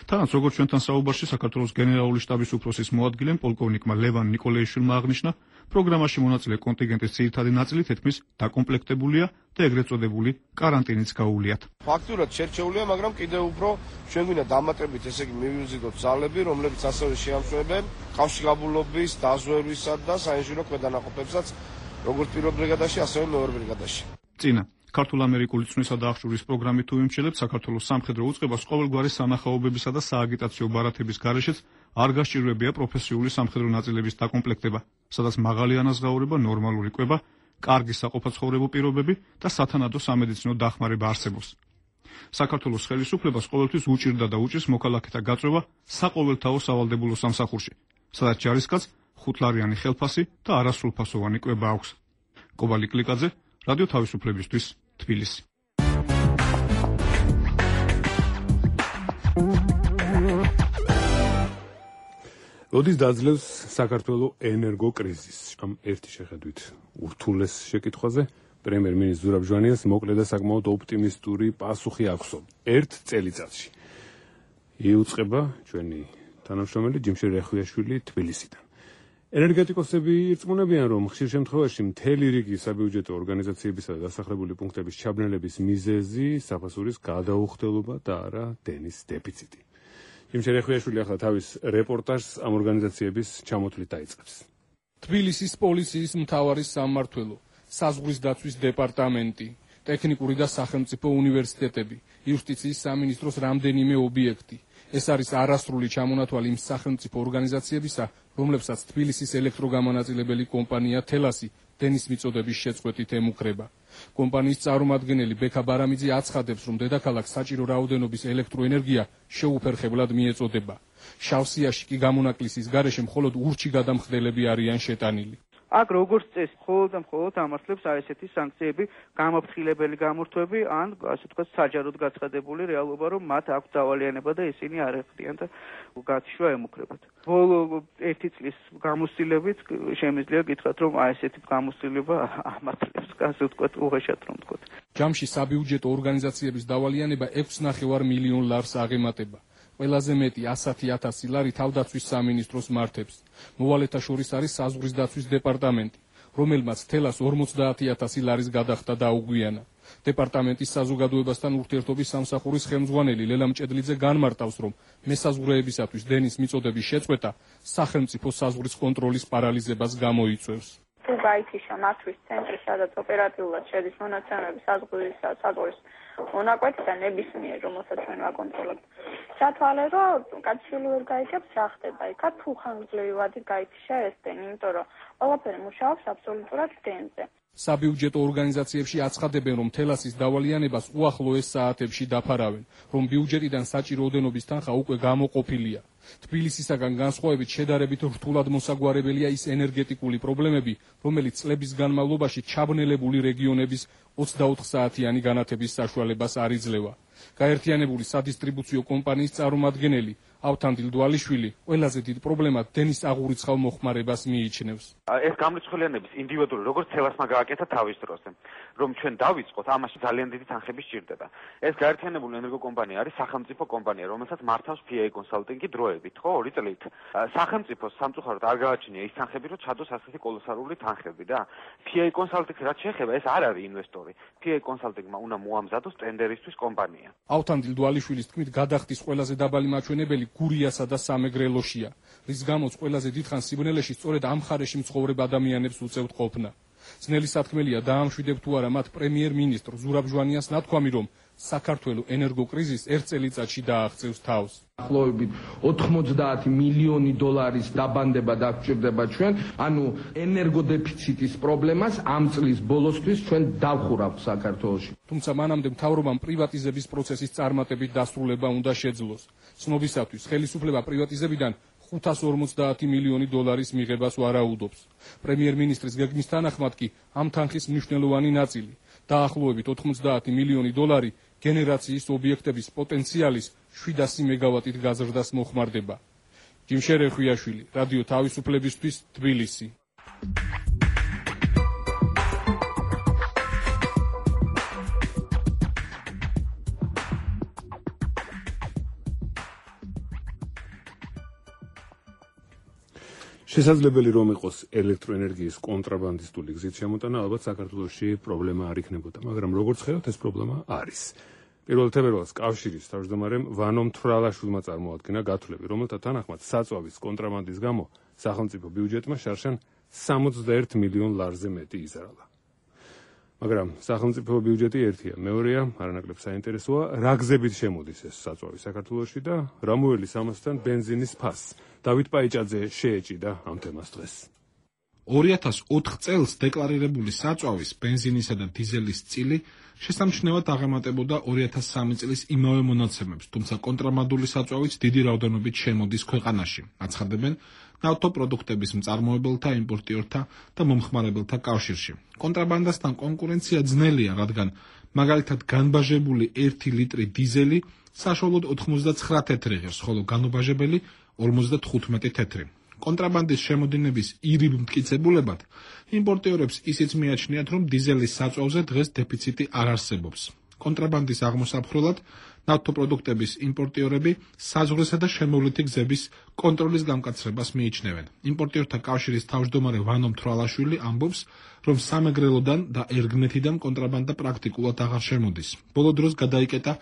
თანაც როგორც ჩვენთან საუბარში საქართველოს გენერალური შტაბის უფროსის მოადგილემ პოლკოვნიკმა ლევან ნიკოლეიშვილმა აღნიშნა, პროგრამაში მონაწილე კონტინგენტის ძირითადი ნაწილი თითქმის დაკომპლექტებულია და ეგრეთ წოდებული каранტინიც გაუვლიათ. ფაქტურად შერჩეულია, მაგრამ კიდევ უფრო ჩვენ გვინდა დამატებით ესე იგი მივიზიდოთ ძალები, რომლებიც ასევე შეამშვებენ კავშირგაბმულობის, დაზვერვისა და საინჟინრო ქვედანაყოფებსაც როგორც პირველ ბრიგადაში, ასევე მეორე ბრიგადაში. წინა ქართულ-ამერიკული წვნისა და აღჭურის პროგრამით თუ იმჩელებს საქართველოს სამხედრო უწყებას ყოველგვარი სანახაობებისა და სააგიტაციო ბარათების გარეშეც არ გასჭირვებია პროფესიული სამხედრო ნაწილების დაკომპლექტება, სადაც მაღალი ანაზღაურება, ნორმალური კვება, კარგი საყოფაცხოვრებო პირობები და სათანადო სამედიცინო დახმარება არსებობს. საქართველოს ხელისუფლებას ყოველთვის უჭირდა და უჭირს მოქალაქეთა გაწვევა საყოველთაო სავალდებულო სამსახურში, სადაც ჯარისკაცს 5 ლარიანი ხელფასი და არასრულფასოვანი კვება აქვს. კობალ ლიკლიკაძე, რადიო თავისუფლებისთვის, თბილისი. როდის დაძლევს საქართველოს ენერგოკრიზისი? ამ ერთი შეხედვით ურთულეს შეკითხვაზე პრემიერ-მინისტრ ზურაბ ჟვანიას მოკლე და საკმაოდ ოპტიმისტური პასუხი აქვს. ერთ წელიწადში. იუწყება ჩვენი თანამშრომელი ჯიმშე რეხუიაშვილი თბილისიდან. ენერგეტიკოსები ირწმუნებიან, რომ ხშირ შემთხვევაში მთელი რიგი საბიუჯეტო ორგანიზაციებისა და დასახლებული პუნქტების ჩაბნელების მიზეზი საფასურის გადაუხდელობა და არა დენის დეფიციტი. ჯიმშე რეხუიაშვილი ახლა თავის რეპორტაჟს ამ ორგანიზაციების ჩამოთვლით დაიწყებს. თბილისის პოლიციის მთავარი სამმართველო, საზღვრის დაცვის დეპარტამენტი, ტექნიკური და სახელმწიფო უნივერსიტეტები, იუსტიციის სამინისტროს რამდენიმე ობიექტი. ეს არის არასრული ჩამონათვალი იმ სახელმწიფო ორგანიზაციებისა, რომლებსაც თბილისის ელექტროგამანაწილებელი კომპანია თელასი დენის მიწოდების შეწყვეტით ემუქრება. კომპანიის წარმომადგენელი ბექა ბარამიძე აცხადებს, რომ დედაქალაქს საჭირო რაოდენობის ელექტროენერგია შეუფერხებლად მიეწოდება. შავსიაში კი გამონაკლისის გარეშე მხოლოდ ურჩი გადამხდელები არიან შეტანილი. აქ როგორც წესი, მხოლოდ და მხოლოდ ამართლებს აი ესეთი სანქციები, გამაფრთხილებელი გამორთვები ან ასე ვთქვათ, საჯაროდ გაცხადებული რეალობა, რომ მათ აქვს დავალიანება და ისინი არ ეხდიან და გათიშვა ემუქრებათ. ბოლო 1 წლის გამოცდილებით შემიძლია გითხრათ, რომ აი ესეთი გამოცდილება ამართლებს, ასე ვთქვათ, უღეშად რომ ვთქვათ. ჯამში საბიუჯეტო ორგანიზაციების დავალიანება 6,5 მილიონ ლარს აღემატება. ყველაზე მეტი 100,000 ლარი თავდაცვის სამინისტროს მართებს. მოვალეთა შორის არის საზღვრის დაცვის დეპარტამენტი, რომელმაც თელას 50,000 ლარის გადახდა დაუგვიანა. დეპარტამენტის საზოგადოებასთან ურთიერთობის სამსახურის ხელმძღვანელი ლელა მჭედლიძე განმარტავს, რომ მესაზღვრეებისათვის დენის მიწოდების შეწყვეტა სახელმწიფო საზღვრის კონტროლის პარალიზებას გამოიწვევს. თუ გაითიშა მათთვის ცენტრი, სადაც ოპერატიულად შედის მონაცემები საზღვრის მონაკვეთიდან ნებისმიერ, რომელსაც ჩვენ ვაკონტროლებთ. ჩათვალე, რომ კაცშილი ვერ გაიგებს, რა ხდება იქ, თუ ხანგრძლივი ვადით გაითიშა ეს დენი, იმიტომ რომ ყველაფერი მუშაობს აბსოლუტურად დენზე. საბიუჯეტო ორგანიზაციებში აცხადებენ, რომ თელასის დავალიანებას უახლოეს საათებში დაფარავენ, რომ ბიუჯეტიდან საჭირო ოდენობის თანხა უკვე გამოყოფილია. თბილისისაგან განსხვავებით შედარებით რთულად მოსაგვარებელია ის ენერგეტიკული პრობლემები, რომელიც წლების განმავლობაში ჩაბნელებული რეგიონების 24 საათიანი განათების საშუალებას არ იძლევა. გაერთიანებული სადისტრიბუციო კომპანიის წარმომადგენელი ავთანდილ დვალიშვილი ყველაზე დიდ პრობლემად დენის აღურიცხავ მოხმარებას მიიჩნევს. ეს გამრიცხველიანების ინდივიდუალური როგორც თელასმა გააკეთა თავის დროზე, რომ ჩვენ დავიწყოთ, ამაში ძალიან დიდი თანხები სჭირდება. ეს გაერთიანებული ენერგოკომპანია არის სახელმწიფო კომპანია, რომელსაც მართავს PA კონსალტინგი დროებით, ხო, 2 წლით. სახელმწიფოს სამწუხაროდ არ გააჩნია ის თანხები, რომ ჩადოს ასეთი კოლოსალური თანხები და PA კონსალტინგი რაც შეეხება, ეს არ არის ინვესტორი. PA კონსალტინგმა უნდა მოამზადოს ტენდერისთვის კომპანია. ავთანდილ დვალიშვილის თქმით, გადახდის ყველაზე დაბალი მაჩვენებელი გურიასა და სამეგრელოშია, რის გამოც ყველაზე დიდხანს სიბნელეში სწორედ ამ მხარეში მცხოვრებ ადამიანებს უწევთ ყოფნა. ძნელი სათქმელია დაამშვიდებ თუ არა მათ პრემიერ-მინისტრ ზურაბ ჟვანიას ნათქვამი, რომ საქართველოს ენერგოკრიზისს 1 წელიწადში დააღწევს თავს. ახლობებით 90 მილიონი დოლარის დაბანდება დაგჭირდება ჩვენ, ანუ ენერგოდეფიციტის პრობლემას ამ წლის ბოლოსთვის ჩვენ დავხურავთ საქართველოში. თუმცა მანამდე მთავრობამ პრივატიზების პროცესის წარმატებით დასრულება უნდა შეძლოს. ცნობისათვის ხელისუფლება პრივატიზებიდან 550 მილიონი დოლარის მიღებას ვარაუდობს. პრემიერ-მინისტრის გეგმის თანახმად კი ამ თანხის მნიშვნელოვანი ნაწილი, დაახლოებით 90 მილიონი დოლარი გენერაციის ობიექტების პოტენციალის 700 მეგავატით გაზრდას მოხმარდება. ჯიმშერე ხვიაშვილი, რადიო თავისუფლებისთვის, თბილისი. შესაძლებელი რომ იყოს ელექტროენერგიის კონტრაბანდისტული გზით შემოტანა, ალბათ საქართველოში პრობლემა არ იქნებოდა, მაგრამ როგორც ხედავთ, ეს პრობლემა არის. 1 თებერვალს კავშირის თავმჯდომარემ ვანო მთვრალაშვილმა წარმოადგინა გათვლები, რომელთა თანახმად საწვავის კონტრაბანდის გამო სახელმწიფო ბიუჯეტმა შარშან 61 მილიონ ლარზე მეტი იზარალა. მაგრამ სახელმწიფო ბიუჯეტი ერთია, მეორეა, არანაკლებ საინტერესოა, რა გზებით შემოდის ეს საწვავი საქართველოში და რა მოელის ამასთან ბენზინის ფასს. დავით პაიჭაძე შეეჭიდა ამ თემას დღეს. 2004 წელს დეკლარირებული საწვავის ბენზინისა და დიზელის წილი შესამჩნევად აღემატებოდა 2003 წლის იმავე მონაცემებს, თუმცა კონტრაბანდული საწვავიც დიდი რაოდენობით შემოდის ქვეყანაში. აცხადებენ ნავთობპროდუქტების მწარმოებელთა, იმპორტიორთა და მომხმარებელთა კავშირში. კონტრაბანდასთან კონკურენცია ძნელია, რადგან მაგალითად განბაჟებული 1 ლიტრი დიზელი საშუალოდ 99 თეთრი ღირს, ხოლო განუბაჟებელი 55 თეთრი. კონტრაბანდის შემოდინების ირიბ მტკიცებულებად იმპორტიორებს ისიც მიაჩნიათ, რომ დიზელის საწვავზე დღეს დეფიციტი არ არსებობს. კონტრაბანდის აღმოსაფხრელად ნავთობპროდუქტების იმპორტიორები საზღვრისა და შემოვლითი გზების კონტროლის გამკაცრებას მიიჩნევენ. იმპორტიორთა კავშირის თავმჯდომარე ვანო მთვრალაშვილი ამბობს, რომ სამეგრელოდან და ერგნეთიდან კონტრაბანდა პრაქტიკულად აღარ შემოდის. ბოლო დროს გადაიკეტა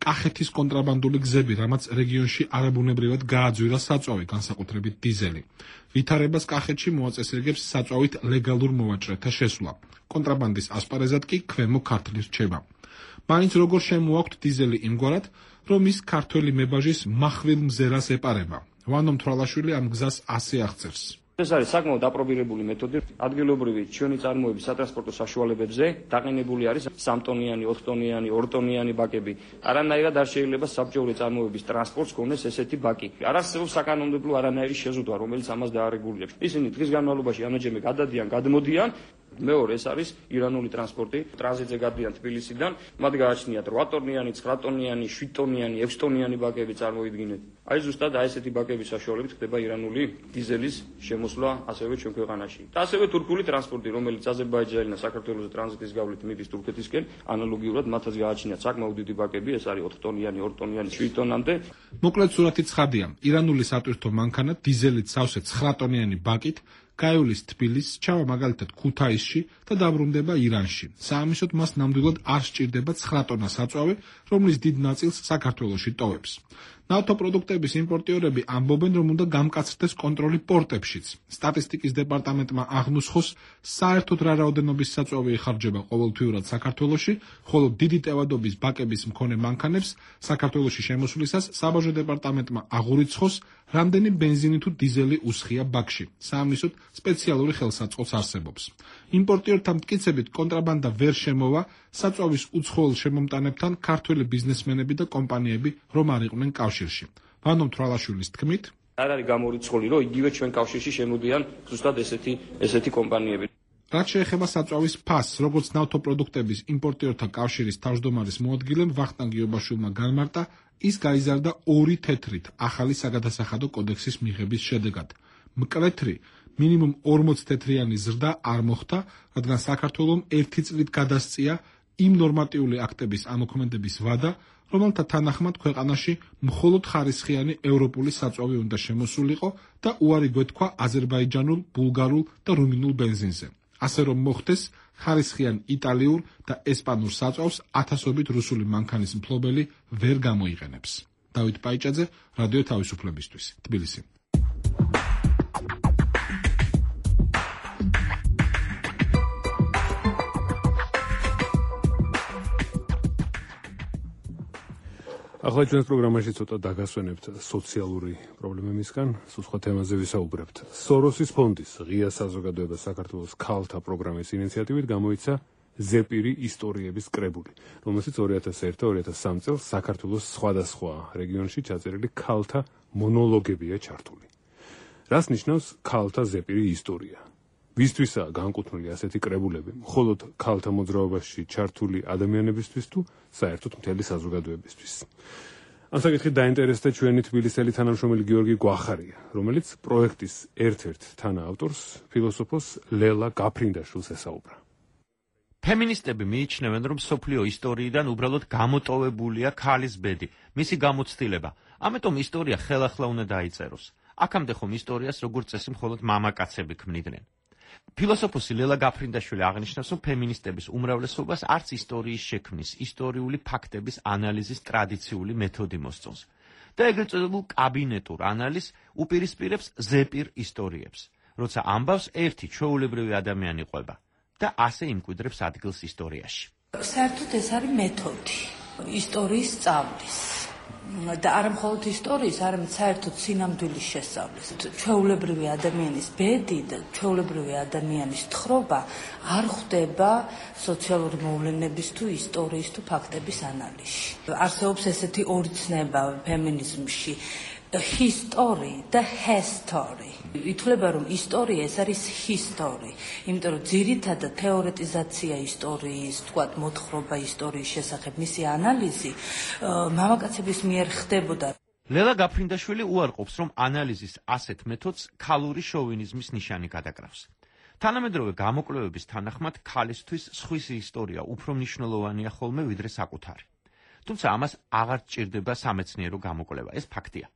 კახეთის კონტრაბანდული გზები, რამაც რეგიონში არაბუნებრივად გააძვირა საწვავი, განსაკუთრებით დიზელი. ვითარებას კახეთში მოაწესრიგებს საწვავით ლეგალურ მოვაჭრეთა შესვლა. კონტრაბანდის ასპარეზად კი ქვემო ქართლის რჩება. მაინც როგორ შემოაქვთ დიზელი იმგვარად, რომ ის ქართველი მებაჟის מחვილ მზერას ეპარება. ვანო მთვრალაშვილი ამ გზას ასე აღწერს. ეს არის საკმაოდ აპრობირებული მეთოდი. ადგილობრივი ჩვენი წარმოების სატრანსპორტო საშუალებებზე დაყენებული არის 3 ტონიანი, 4 ტონიანი, 2 ტონიანი ბაკები. არანაირად არ შეიძლება საბჭოური წარმოების ტრანსპორტს ქონდეს ესეთი ბაკი. არ არსებობს საკანონმდებლო არანაირი შეზღუდვა, რომელიც ამას დაარეგულირებს. ისინი დღის განმავლობაში ამაჯერმე გადადიან, გადმოდიან. მეორე ეს არის ირანული ტრანსპორტი, ტრანზიტზე გადიან თბილისიდან, მათ გააჩნიათ 8 ტონიანი, 9 ტონიანი, 7 ტონიანი, 6 ტონიანი ბაკები წარმოიდგინეთ. აი ზუსტად ესეთი ბაკების საშუალებით ხდება ირანული დიზელის შემოსვლა ასევე ჩვენ ქვეყანაში. და ასევე თურქული ტრანსპორტი, რომელიც აზერბაიჯანიდან საქართველოს ტრანზიტის გავლით მიდის თურქეთისკენ, ანალოგიურად მათაც გააჩნიათ საკმაოდ დიდი ბაკები, ეს არის 4 ტონიანი, 2 ტონიანი, 7 ტონამდე. მოკლედ სურათი ცხადია. ირანული სატვირთო მანქანა დიზელით სავსე 9 ტონიანი ბაკით გაივლის თბილისს, ჩავა მაგალითად ქუთაისში და დაბრუნდება ირანში. საამისოდ მას ნამდვილად არ სჭირდება 9 ტონა საწვავი, რომლის დიდ ნაწილს საქართველოში ტოვებს. ნავთობპროდუქტების იმპორტიორები ამბობენ, რომ უნდა გამკაცრდეს კონტროლი პორტებშიც. სტატისტიკის დეპარტამენტმა აღნუსხოს, საერთოდ რა რაოდენობის საწვავი იხარჯება ყოველთვიურად საქართველოში, ხოლო დიდი ტევადობის ბაკების მქონე მანქანებს საქართველოში შემოსვლისას საბაჟო დეპარტამენტმა აღურიცხოს, რამდენი ბენზინი თუ დიზელი უსხია ბაკში. საამისოდ სპეციალური ხელსაწყოც არსებობს. იმპორტიორთა მტკიცებით კონტრაბანდა ვერ შემოვა, საწვავის უცხოელ შემომტანებთან ქართველი ბიზნესმენები და კომპანიები რომ არ იყვნენ კავშირში. ვანო თვალაშვილის თქმით, არ არის გამორიცხული, რომ იგივე ჩვენ კავშირში შემოდიან ზუსტად ესეთი კომპანიები. რაც შეეხება საწვავის ფასს, როგორც ნავთობპროდუქტების იმპორტიორთა კავშირის თავმჯდომარის მოადგილემ ვახტანგ იობაშვილმა განმარტა, ის გაიზარდა 2 თეთრით ახალი საგადასახადო კოდექსის მიღების შედეგად. მკვეთრი მინიმუმ 40 თეთრიანი ზრდა არ მოხდა, რადგან საქართველომ 1 წლით გადასწია იმ ნორმატიული აქტების ამოქმედების ვადა, რომელთა თანახმად ქვეყანაში მხოლოდ ხარისხიანი ევროპული საწვავი უნდა შემოსულიყო და უარი გვეთქვა აზერბაიჯანულ, ბულგარულ და რუმინულ ბენზინზე. ასე რომ მოხდეს, ხარისხიან იტალიურ და ესპანურ საწვავს ათასობით რუსული მანქანის მფლობელი ვერ გამოიყენებს. დავით პაიჭაძე, რადიო თავისუფლებისთვის, თბილისი. ახლა ჩვენს პროგრამაში ცოტა დაგასვენებთ სოციალური პრობლემებისგან, სხვა თემაზე ვისაუბრებთ. სოროსის ფონდის ღია საზოგადოება საქართველოს ქალთა პროგრამის ინიციატივით გამოიცა ზეპირი ისტორიების კრებული, რომელშიც 2001-2003 წელს საქართველოს სხვადასხვა რეგიონში ჩაწერილი ქალთა მონოლოგებია ჩართული. რას ნიშნავს ქალთა ზეპირი ისტორია? ვისთვისაა განკუთვნილი ასეთი კრებულები? მხოლოდ ქალთა მოძრაობაში ჩართული ადამიანებისთვის თუ საერთოდ მთელი საზოგადოებისთვის? ამ საკითხით დაინტერესდა ჩვენი თბილისელი თანამშრომელი გიორგი გვახარია, რომელიც პროექტის ერთ-ერთ თანაავტორს, ფილოსოფოს ლელა გაფრინდაშვილს ესაუბრა. ფემინისტები მიიჩნევენ, რომ სოფლიო ისტორიიდან უბრალოდ გამოტოვებულია ქალის ბედი, მისი გამოცდილება. ამიტომ ისტორია ხელახლა უნდა დაიწეროს. აქამდე ხომ ისტორიას როგორც წესი მხოლოდ მამაკაცები ქმნიდნენ. ფილოსოფოსი ლელა გაფრინდაშვილი აღნიშნავს, რომ ფემინისტების უმრავლესობას არც ისტორიის შექმნის, ისტორიული ფაქტების ანალიზის ტრადიციული მეთოდი მოსწონს და ეგრეთ წოდებულ კაბინეტურ ანალიზს უპირისპირებს ზეპირ ისტორიებს, როცა ამბავს ერთი ჩვეულებრივი ადამიანი ყვება და ასე იმკვიდრებს ადგილს ისტორიაში. საერთოდ ეს არის მეთოდი ისტორიის სწავლის. და არა მხოლოდ ისტორიის, არამედ საერთოდ სინამდვილის შესწავლის. ჩვეულებრივი ადამიანის ბედი და ჩვეულებრივი ადამიანის თხრობა არ ხვდება სოციალური მოვლენების თუ ისტორიის თუ ფაქტების ანალიზში. არსებობს ესეთი ორი ცნება ფემინიზმში, history და history. ითვლება, რომ ისტორია ეს არის history, იმიტომ რომ ძირითადად თეორეტიზაცია ისტორიის, თქვათ მოთხრობა ისტორიის შესახებ, მისი ანალიზი მამაკაცების მიერ ხდებოდა. ლელა გაფრინდაშვილი უარყოფს, რომ ანალიზის ასეთ მეთოდს ქალური შოვინიზმის ნიშანი გადაკრავს. თანამედროვე გამოკვლევების თანახმად ქალისთვის სხვის ისტორია უფრო მნიშვნელოვანია ხოლმე ვიდრე საკუთარი. თუმცა ამას აღარ სჭირდება სამეცნიერო გამოკვლევა, ეს ფაქტია.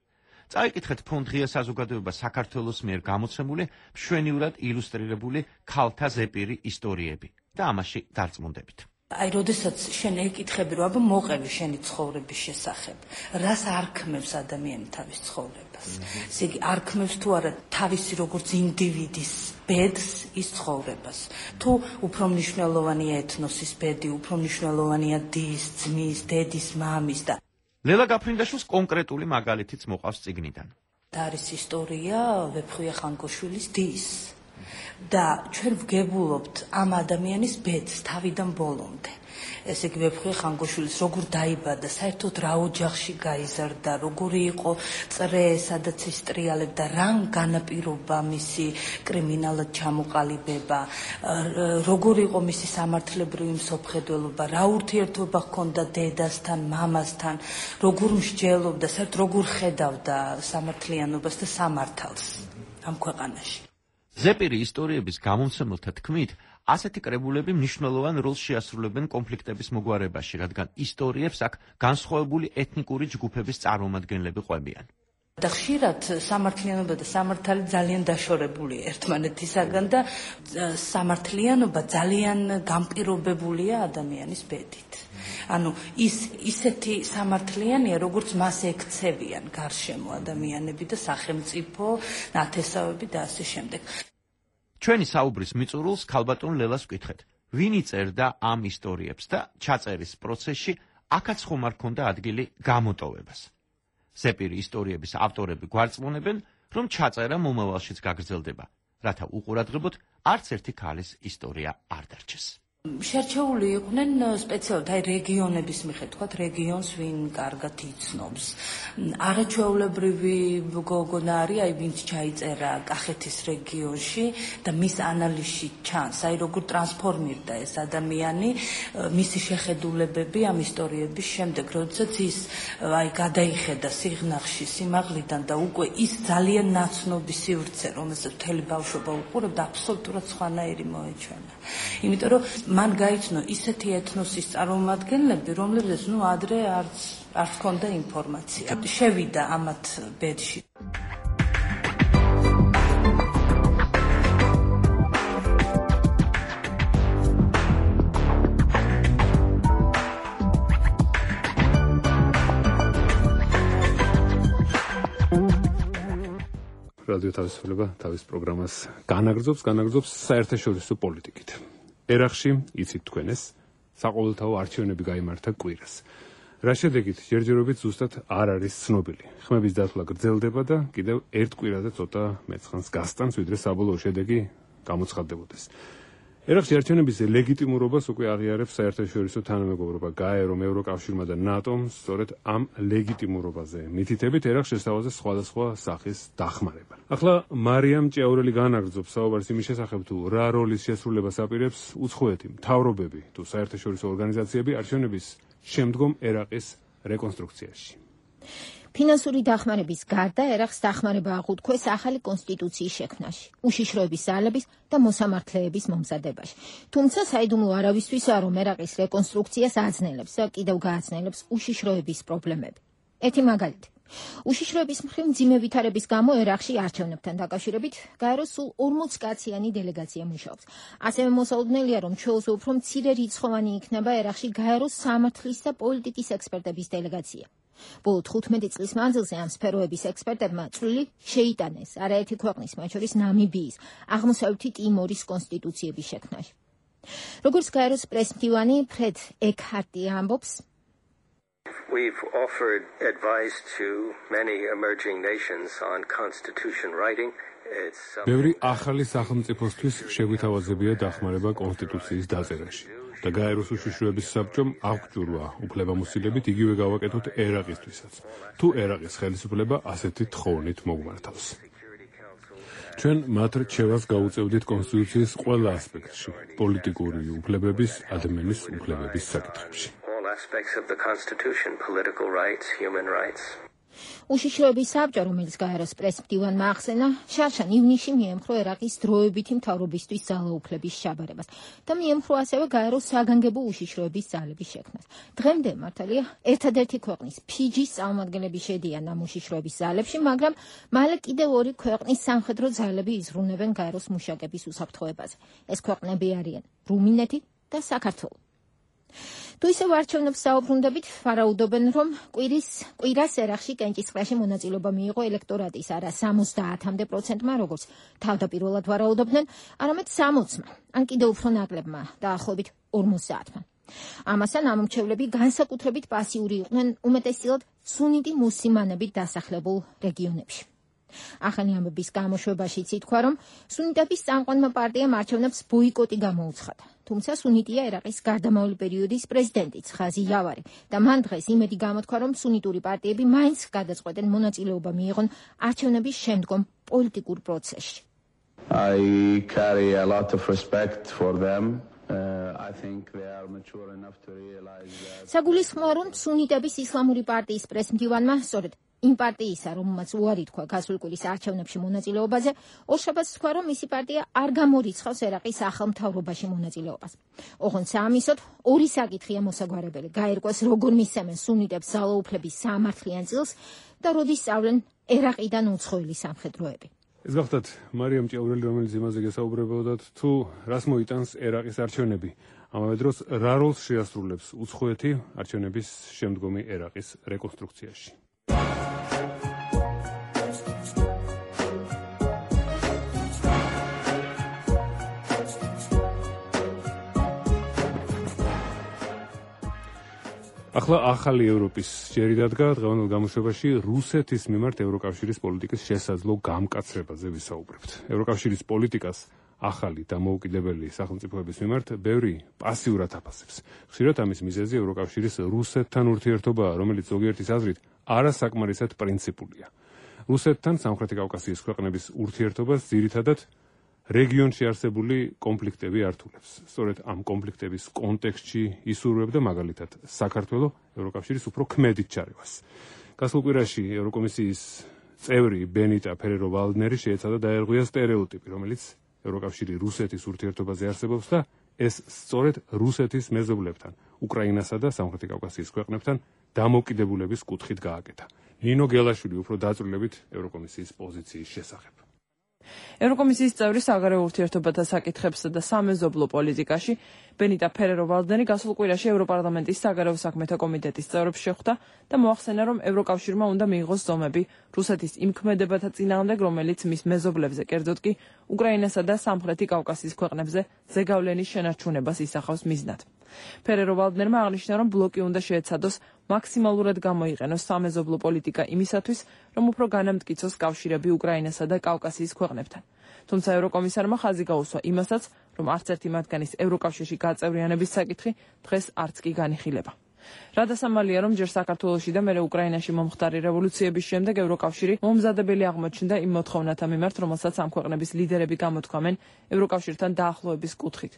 წაიკითხეთ ფონდ ღია საზოგადოება საქართველოს მიერ გამოცემული მშვენივრად ილუსტრირებული ქალთა ზეპირი ისტორიები და ამაში დარწმუნდებით. აი, როდესაც შენ ეკითხები, რომ აბა მოყევი შენი ცხოვრების შესახებ, რას არქმევს ადამიანი თავის ცხოვრებას? ესე იგი, არქმევს თუ არა თავისი როგორც ინდივიდის ბედს, ის ცხოვრებას. თუ უფრო მნიშვნელოვანია ეთნოსის ბედი, უფრო მნიშვნელოვანია დის, ძმის, დედის, მამის და ლელა გაფრინდაშვილს კონკრეტული მაგალითიც მოყავს წიგნიდან. და არის ისტორია ვეფხვია ხანკოშვილის დის. და ჩვენ ვგებულობთ ამ ადამიანის ბედს თავიდან ბოლომდე. ესე იგი ვეფხვია ხანკოშვილის როგორ დაიბადა, საერთოდ რა ოჯახში გაიზარდა, როგორი იყო წრე, სადაც ის ტრიალებდა, რა განაპირობა მისი კრიმინალად ჩამოყალიბება, როგორი იყო მისი სამართლებრივი მსოფლმხედველობა, რა ურთიერთობა ჰქონდა დედასთან, მამასთან, როგორ მსჯელობდა, საერთოდ როგორ ხედავდა სამართლიანობას და სამართალს ამ ქვეყანაში. ზეპირი ისტორიების გამომცემელთა თქმით, ასეთი კრებულები მნიშვნელოვან როლს შეასრულებენ კონფლიქტების მოგვარებაში, რადგან ისტორიებს აქ განსხვავებული ეთნიკური ჯგუფების წარმომადგენლები ყვებიან. და ხშირად სამართლიანობა და სამართალი ძალიან დაშორებულია ერთმანეთისაგან და სამართლიანობა ძალიან განპირობებულია ადამიანის ბედით. ანუ ისეთი სამართლიანია, როგორც მას ექცევიან გარშემო ადამიანები და სახელმწიფო, ნათესავები და ასე შემდეგ. ჩვენი საუბრის მიწურულს ქალბატონ ლელას ვკითხეთ, ვინ იწერდა ამ ისტორიებს და ჩაწერის პროცესში აქაც ხომ არ ქონდა ადგილი გამოტოვებას. ზეპირი ისტორიების ავტორები გვარწმუნებენ, რომ ჩაწერა მომავალშიც გაგრძელდება, რათა უყურადღებოდ არც ერთი ქალის ისტორია არ დარჩეს. შერჩეული იყვნენ სპეციალურად აი რეგიონების მიხედვით, თქვათ რეგიონს ვინ კარგად იცნობს. არაჩვეულებრივი გოგონა არის, აი ვინც ჩაიწერა კახეთის რეგიონში და მის ანალიზში ჩანს, აი როგორ ტრანსფორმირდა ეს ადამიანი, მისი შეხედულებები ამ ისტორიების შემდეგ, როდესაც ის აი გადაიხედა სიღნაღში, სიმაღლიდან და უკვე ის ძალიან ნაცნობი სივრცე, რომელსაც მთელი ბავშვობა უყურებდა, აბსოლუტურად სხვანაირი მოეჩვენა. იმიტომ რომ მან გაიცნო ისეთი ეთნოსის წარმომადგენლები, რომლებზეც ადრე არც ჰქონდა ინფორმაცია. შევიდა ამათ ბედში. რადიო თავისუფლება თავის პროგრამას განაგრძობს საერთაშორისო პოლიტიკით. ერახში, იცით თქვენ ეს, საყოველთაო არჩევნები გაიმართა კვირას. რა შედეგით ჯერჯერობით ზუსტად არ არის ცნობილი. ხმების დათვლა გრძელდება და კიდევ ერთ კვირაზე ცოტა მეცხანს გასტანს, ვიდრე საბოლოო შედეგი გამოცხადდებოდეს. ერახში არჩევნების ლეგიტიმურობას უკვე აღიარებს საერთაშორისო თანამეგობრობა GAE, რომ ევროკავშირმა და ნატომ სწორედ ამ ლეგიტიმურობაზე მითითებით ერახს შესთავაზეს სხვადასხვა სახის დახმარება. ახლა მარიამ ჭიაურელი განაგრძობს საუბარს იმის შესახებ, თუ რა როლის შესრულებას აპირებს უცხოეთი მთავრობები თუ საერთაშორისო ორგანიზაციები არჩევნების შემდგომ ერაყის რეკონსტრუქციაში. ფინანსური დახმარების გარდა ერაყს დახმარება აღუთქვეს ახალი კონსტიტუციის შექმნაში, უშიშროების ძალების და მოსამართლეების მომზადებაში. თუმცა საიდუმლო არავისთვისაა, რომ ერაყის რეკონსტრუქციას აძნელებს და კიდევ გააძნელებს უშიშროების პრობლემები. ერთი მაგალითი. უშიშროების მხრივ მძიმე ვითარების გამო ერაყში არჩევნებთან დაკავშირებით გაეროს სულ 40 კაციანი დელეგაცია მუშაობს. ასევე მოსაუდგენელია, რომ ჩვეულზე უფრო მცირე რიცხოვანი იქნება ერაყში გაეროს სამართლის და პოლიტიკის ექსპერტების დელეგაცია. ბოლო 15 წლის მანძილზე ამ სფეროების ექსპერტებმა წვლილი შეიტანეს არაერთი ქვეყნის, მათ შორის ნამიბიის, აღმოსავლეთი ტიმორის კონსტიტუციების შექმნაში. როგორც გაეროს პრესმდივანი ფრედ ეკჰარტი ამბობს, We've offered advice to many emerging nations on constitution writing. ბევრი ახალი სახელმწიფოსთვის შეგვითავაზებია დახმარება კონსტიტუციის დაწერაში. და გაეროს უშიშროების საბჭომ აღჭურვა უფლებამოსილებით იგივე გავაკეთოთ ერაყისთვისაც, თუ ერაყის ხელისუფლება ასეთი თხოვნით მოგვმართავს. ჩვენ მათ რჩევას გაუწევდით კონსტიტუციის ყველა ასპექტში, პოლიტიკური უფლებების, ადამიანის უფლებების საკითხებში. უშიშროების საბჭო, რომელიც გაეროს პრესმდივანმა ახსენა, შარშან ივნისში მიემხრო ერაყის დროებითი მთავრობისთვის ძალაუფლების შაბარებას და მიემხრო ასევე გაეროს საგანგებო უშიშროების ძალების შექმნას. დღემდე მართალია ერთადერთი ქვეყნის ფიჯის წარმომადგენლები შედიან ამ უშიშროების ძალებში, მაგრამ მალე კიდევ ორი ქვეყნის სამხედრო ძალები იზრუნებენ გაეროს მუშაკების უსაფრთხოებაზე. ეს ქვეყნები არიან რუმინეთი და საქართველო. თუ ისევ არჩევნებს საუბრუნდებით, ვარაუდობენ, რომ კვირას ერაყში კენჭისყრაში მონაწილეობა მიიღო ელექტორატის არა 70%-მდე, როგორც თავდაპირველად ვარაუდობდნენ, არამედ 60-მა, ან კიდევ უფრო ნაკლებმა, დაახლოებით 50-მან. ამასთან ამომრჩევლები განსაკუთრებით პასიური იყვნენ უმეტესწილად სუნიტი მუსლიმანებით დასახლებულ რეგიონებში. ახალი ამბების გამოშვებაშიც ითქვა, რომ სუნიტების წამყვანმა პარტიამ არჩევნებს ბოიკოტი გამოუცხადა. თუმცა სუნიტია ერაყის გარდამავალი პერიოდის პრეზიდენტიც ხაზი იავარი და მან დღეს იმედი გამოთქვა, რომ სუნიტური პარტიები მაინც გადაწყვეტენ მონაწილეობა მიიღონ არჩევნების შემდგომ პოლიტიკურ პროცესში. I carry a lot of respect for them. I think they are mature enough to realize that საგულისხმოა, რომ სუნიტების ისლამური პარტიის პრესმდივანმა სწორედ იმ პარტიისა, რომელმაც უარი თქვა გასული კვირის არჩევნებში მონაწილეობაზე, ორშაბათს თქვა, რომ მისი პარტია არ გამორიცხავს ერაყის ახალ მთავრობაში მონაწილეობას. ოღონდ საამისოდ ორი საკითხია მოსაგვარებელი: გაერკვეს როგორ მისცემენ სუნიტებს ძალაუფლების საამართლიან წილს და როდის სწავლენ ერაყიდან უცხოელი სამხედროები. ეს გახლდათ მარიამ ჭიაურელი, რომელიც იმაზე გესაუბრებოდათ, თუ რას მოიტანს ერაყის არჩევნები. ამავე დროს რა როლს შეასრულებს უცხოეთი არჩევნების შემდგომი ერაყის რეკონსტრუქციაში. ახლა ახალი ევროპის ჯერი დადგა დღევანდელ გამოშვებაში რუსეთის მიმართ ევროკავშირის პოლიტიკის შესაძლო გამკაცრებაზე ვისაუბრებთ. ევროკავშირის პოლიტიკას ახალი დამოუკიდებელი სახელმწიფოების მიმართ ბევრი პასიურად აფასებს. ხშირად ამის მიზეზი ევროკავშირის რუსეთთან ურთიერთობაა, რომელიც ზოგიერთის აზრით არასაკმარისად პრინციპულია. რუსეთთან სამხრეთი კავკასიის ქვეყნების ურთიერთობას ძირითადად რეგიონში არსებული კონფლიქტები ართულებს. სწორედ ამ კონფლიქტების კონტექსტში ისურვებდა მაგალითად საქართველოს ევროკავშირის უფრო ქმედით ჩარევას. გასულ კვირაში ევროკომისიის წევრი ბენიტა ფერერო-ვალდნერი შეეცადა დაერღვია სტერეოტიპი, რომელიც ევროკავშირი რუსეთის ურთიერთობაზე არსებობს და ეს სწორედ რუსეთის მეზობლებთან, უკრაინასა და სამხრეთი კავკასიის ქვეყნებთან დამოუკიდებულების კუთხით გააკეთა. ნინო გელაშვილი უფრო დაწვრილებით ევროკომისიის პოზიციის შესახებ. ევროკომისიის წევრი საგარეო ურთიერთობათა საკითხებსა და სამეზობლო პოლიტიკაში ბენიტა ფერერო-ვალდნერი გასულ კვირაში ევროპარლამენტის საგარეო საქმეთა კომიტეტის წევრებს შეხვდა და მოახსენა, რომ ევროკავშირმა უნდა მიიღოს ზომები რუსეთის იმ ქმედებათა წინააღმდეგ, რომელიც მის მეზობლებზე, კერძოდ კი უკრაინასა და სამხრეთი კავკასიის ქვეყნებზე ზეგავლენის შენარჩუნებას ისახავს მიზნად. ფერერო-ვალდნერმა აღნიშნა, რომ ბლოკი უნდა შეეცადოს მაქსიმალურად გამოიყენოს სამეზობლო პოლიტიკა იმისათვის, რომ უფრო განამტკიცოს კავშირები უკრაინასა და კავკასიის ქვეყნებთან. თუმცა ევროკომისარმა ხაზი გაუსვა იმასაც, რომ არც ერთი მათგანის ევროკავშირში გაწევრიანების საკითხი დღეს არც კი განიხილება. რადასამალია, რომ ჯერ საქართველოში და მერე უკრაინაში მომხდარი რევოლუციების შემდეგ ევროკავშირი მომზადებელი აღმოჩნდა იმ მოთხოვნათა მიმართ, რომელსაც ამ ქვეყნების ლიდერები გამოთქვამენ ევროკავშირთან დაახლოების კუთხით.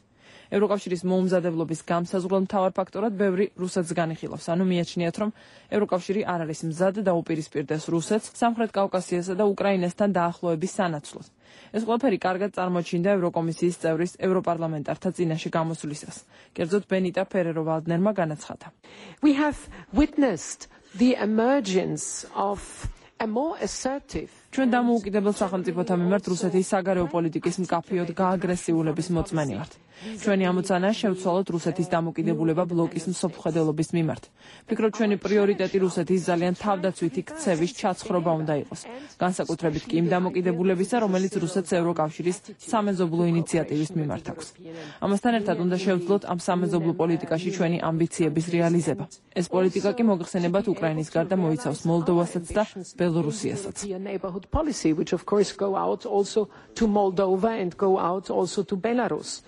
ევროკავშირის მოუმზადებლობის გამსაზღვრელ მთავარ ფაქტორად ბევრი რუსეთს განიხილავს, ანუ მიაჩნიათ, რომ ევროკავშირი არ არის მზად დაუპირისპირდეს რუსეთს სამხრეთ კავკასიასა და უკრაინასთან დაახლოების სანაცვლოდ. ეს ყველაფერი კარგად წარმოჩინდა ევროკომისიის წევრის ევროპარლამენტართა წინაშე გამოსვლისას. კერძოდ ბენიტა ფერერო-ვალდნერმა განაცხადა. We have witnessed the emergence of a more assertive ჩვენ დამოუკიდებელ სახელმწიფოთა მიმართ რუსეთის საგარეო პოლიტიკის მკაფიოდ გააგრესიულების მოწმენი ვართ. ჩვენი ამოცანაა შევცვალოთ რუსეთის დამოუკიდებულება ბლოკის მსოფლმხედველობის მიმართ. ვფიქრობ, ჩვენი პრიორიტეტი რუსეთის ძალიან თავდაცვითი ქცევის ჩაცხრობა უნდა იყოს. განსაკუთრებით კი იმ დამოუკიდებულებისა, რომელიც რუსეთს ევროკავშირის სამეზობლო ინიციატივის მიმართ აქვს. ამასთან ერთად უნდა შევძლოთ ამ სამეზობლო პოლიტიკაში ჩვენი ამბიციების რეალიზება. ეს პოლიტიკა კი მოგხსენებათ უკრაინის გარდა მოიცავს მოლდოვასაც და ბელორუსიასაც. policy, which of course go out also to Moldova and go out also to Belarus.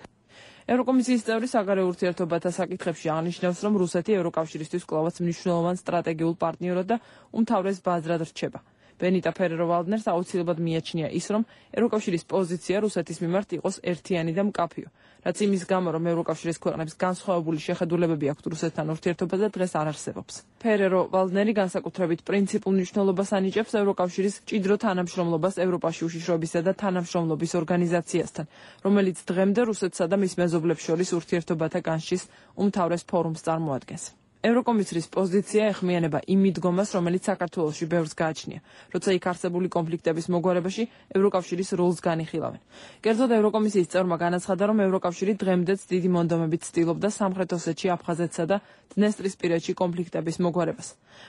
ევროკომისიის წევრი საგარეო ურთიერთობათა საკითხებში აღნიშნავს, რომ რუსეთი ევროკავშირისთვის კვლავაც მნიშვნელოვან სტრატეგიულ პარტნიორად და უმთავრეს ბაზრად რჩება. ბენიტა ფერერო-ვალდნერს აუცილებლად მიაჩნია ის, რომ ევროკავშირის პოზიცია რუსეთის მიმართ იყოს ერთიანი და მკაფიო, რაც იმის გამო, რომ ევროკავშირის ქვეყნებს განსხვავებული შეხედულებები აქვთ რუსეთთან ურთიერთობაზე, დღეს არ არსებობს. ფერერო-ვალდნერი განსაკუთრებით პრინციპულ მნიშვნელობას ანიჭებს ევროკავშირის მჭიდრო თანამშრომლობას ევროპაში უშიშროებისა და თანამშრომლობის ორგანიზაციასთან, რომელიც დღემდე რუსეთსა და მის მეზობლებს შორის ურთიერთობათა განშტის უმთავრეს ფორუმს წარმოადგენს. ევროკომისრის პოზიცია ეხმიანება იმ მიდგომას, რომელიც საქართველოში ბევრს გააჩნია, როცა იქ არსებული კონფლიქტების მოგვარებაში ევროკავშირის როლს განიხილავენ. კერძოდ ევროკომისიის წევრმა განაცხადა, რომ ევროკავშირი დღემდეც დიდი მონდომებით ცდილობდა სამხრეთ ოსეთში, აფხაზეთსა და დნესტრისპირეთში კონფლიქტების მოგვარებას.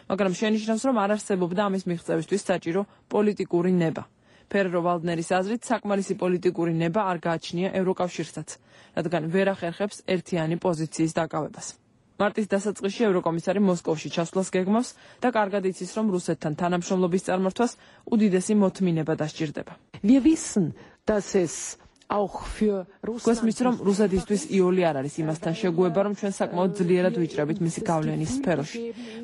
მაგრამ შენიშნავს, რომ არ არსებობდა ამის მიღწევისთვის საჭირო პოლიტიკური ნება. ფერერო-ვალდნერის აზრით, საკმარისი პოლიტიკური ნება არ გააჩნია ევროკავშირსაც, რადგან ვერ ახერხებს ერთიანი პოზიციის დაკავებას. მარტის დასაწყისში ევროკომისარი მოსკოვში ჩასვლას გეგმავს და კარგად იცის, რომ რუსეთთან თანამშრომლობის წარმართვას უდიდესი მოთმინება დასჭირდება. Wir wissen, dass es auch für Russland რომ რუსეთისთვის იული არ არის იმასთან შეგუება, რომ ჩვენ საკმაოდ ძლიერად ვიჭრებით მისი გავლენის სფეროში.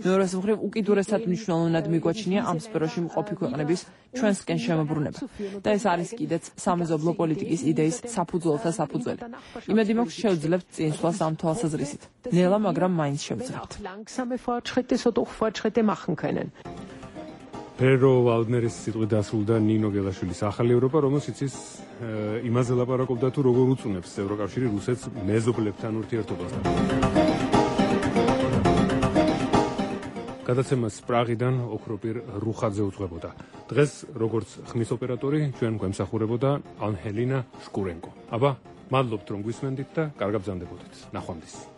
მეორეს მხრივ უკიდურესად მნიშვნელოვნად მიგვაჩნია ამ სფეროში მყოფი ქვეყნების ჩვენსკენ შემოbrunება. და ეს არის კიდეც სამეზობლო პოლიტიკის იდეის საფუძველთა საფუძველი. იმედი მაქვს შევძლებთ წინსვლას ამ თვალსაზრისით. ნელა, მაგრამ მაინც შევძლებთ. langsame Fortschritte so doch Fortschritte machen können. პერო ვალდნერის სიტყვით დასრულდა ნინო გელაშვილის ახალი ევროპა, რომელშიც ის იმაზე ლაპარაკობდა თუ როგორ უწუნებს ევროკავშირი რუსეთს მეზობლებთან ურთიერთობასთან. გადაცემას პრაღიდან ოქროპირ რუხაძე უძღვებოდა. დღეს როგორც ხმის ოპერატორი ჩვენ გვემსახურებოდა ანჰელინა შკურენკო. აბა, მადლობთ რომ გვისმენდით და კარგად ბრძანდებოდეთ. ნახვამდის.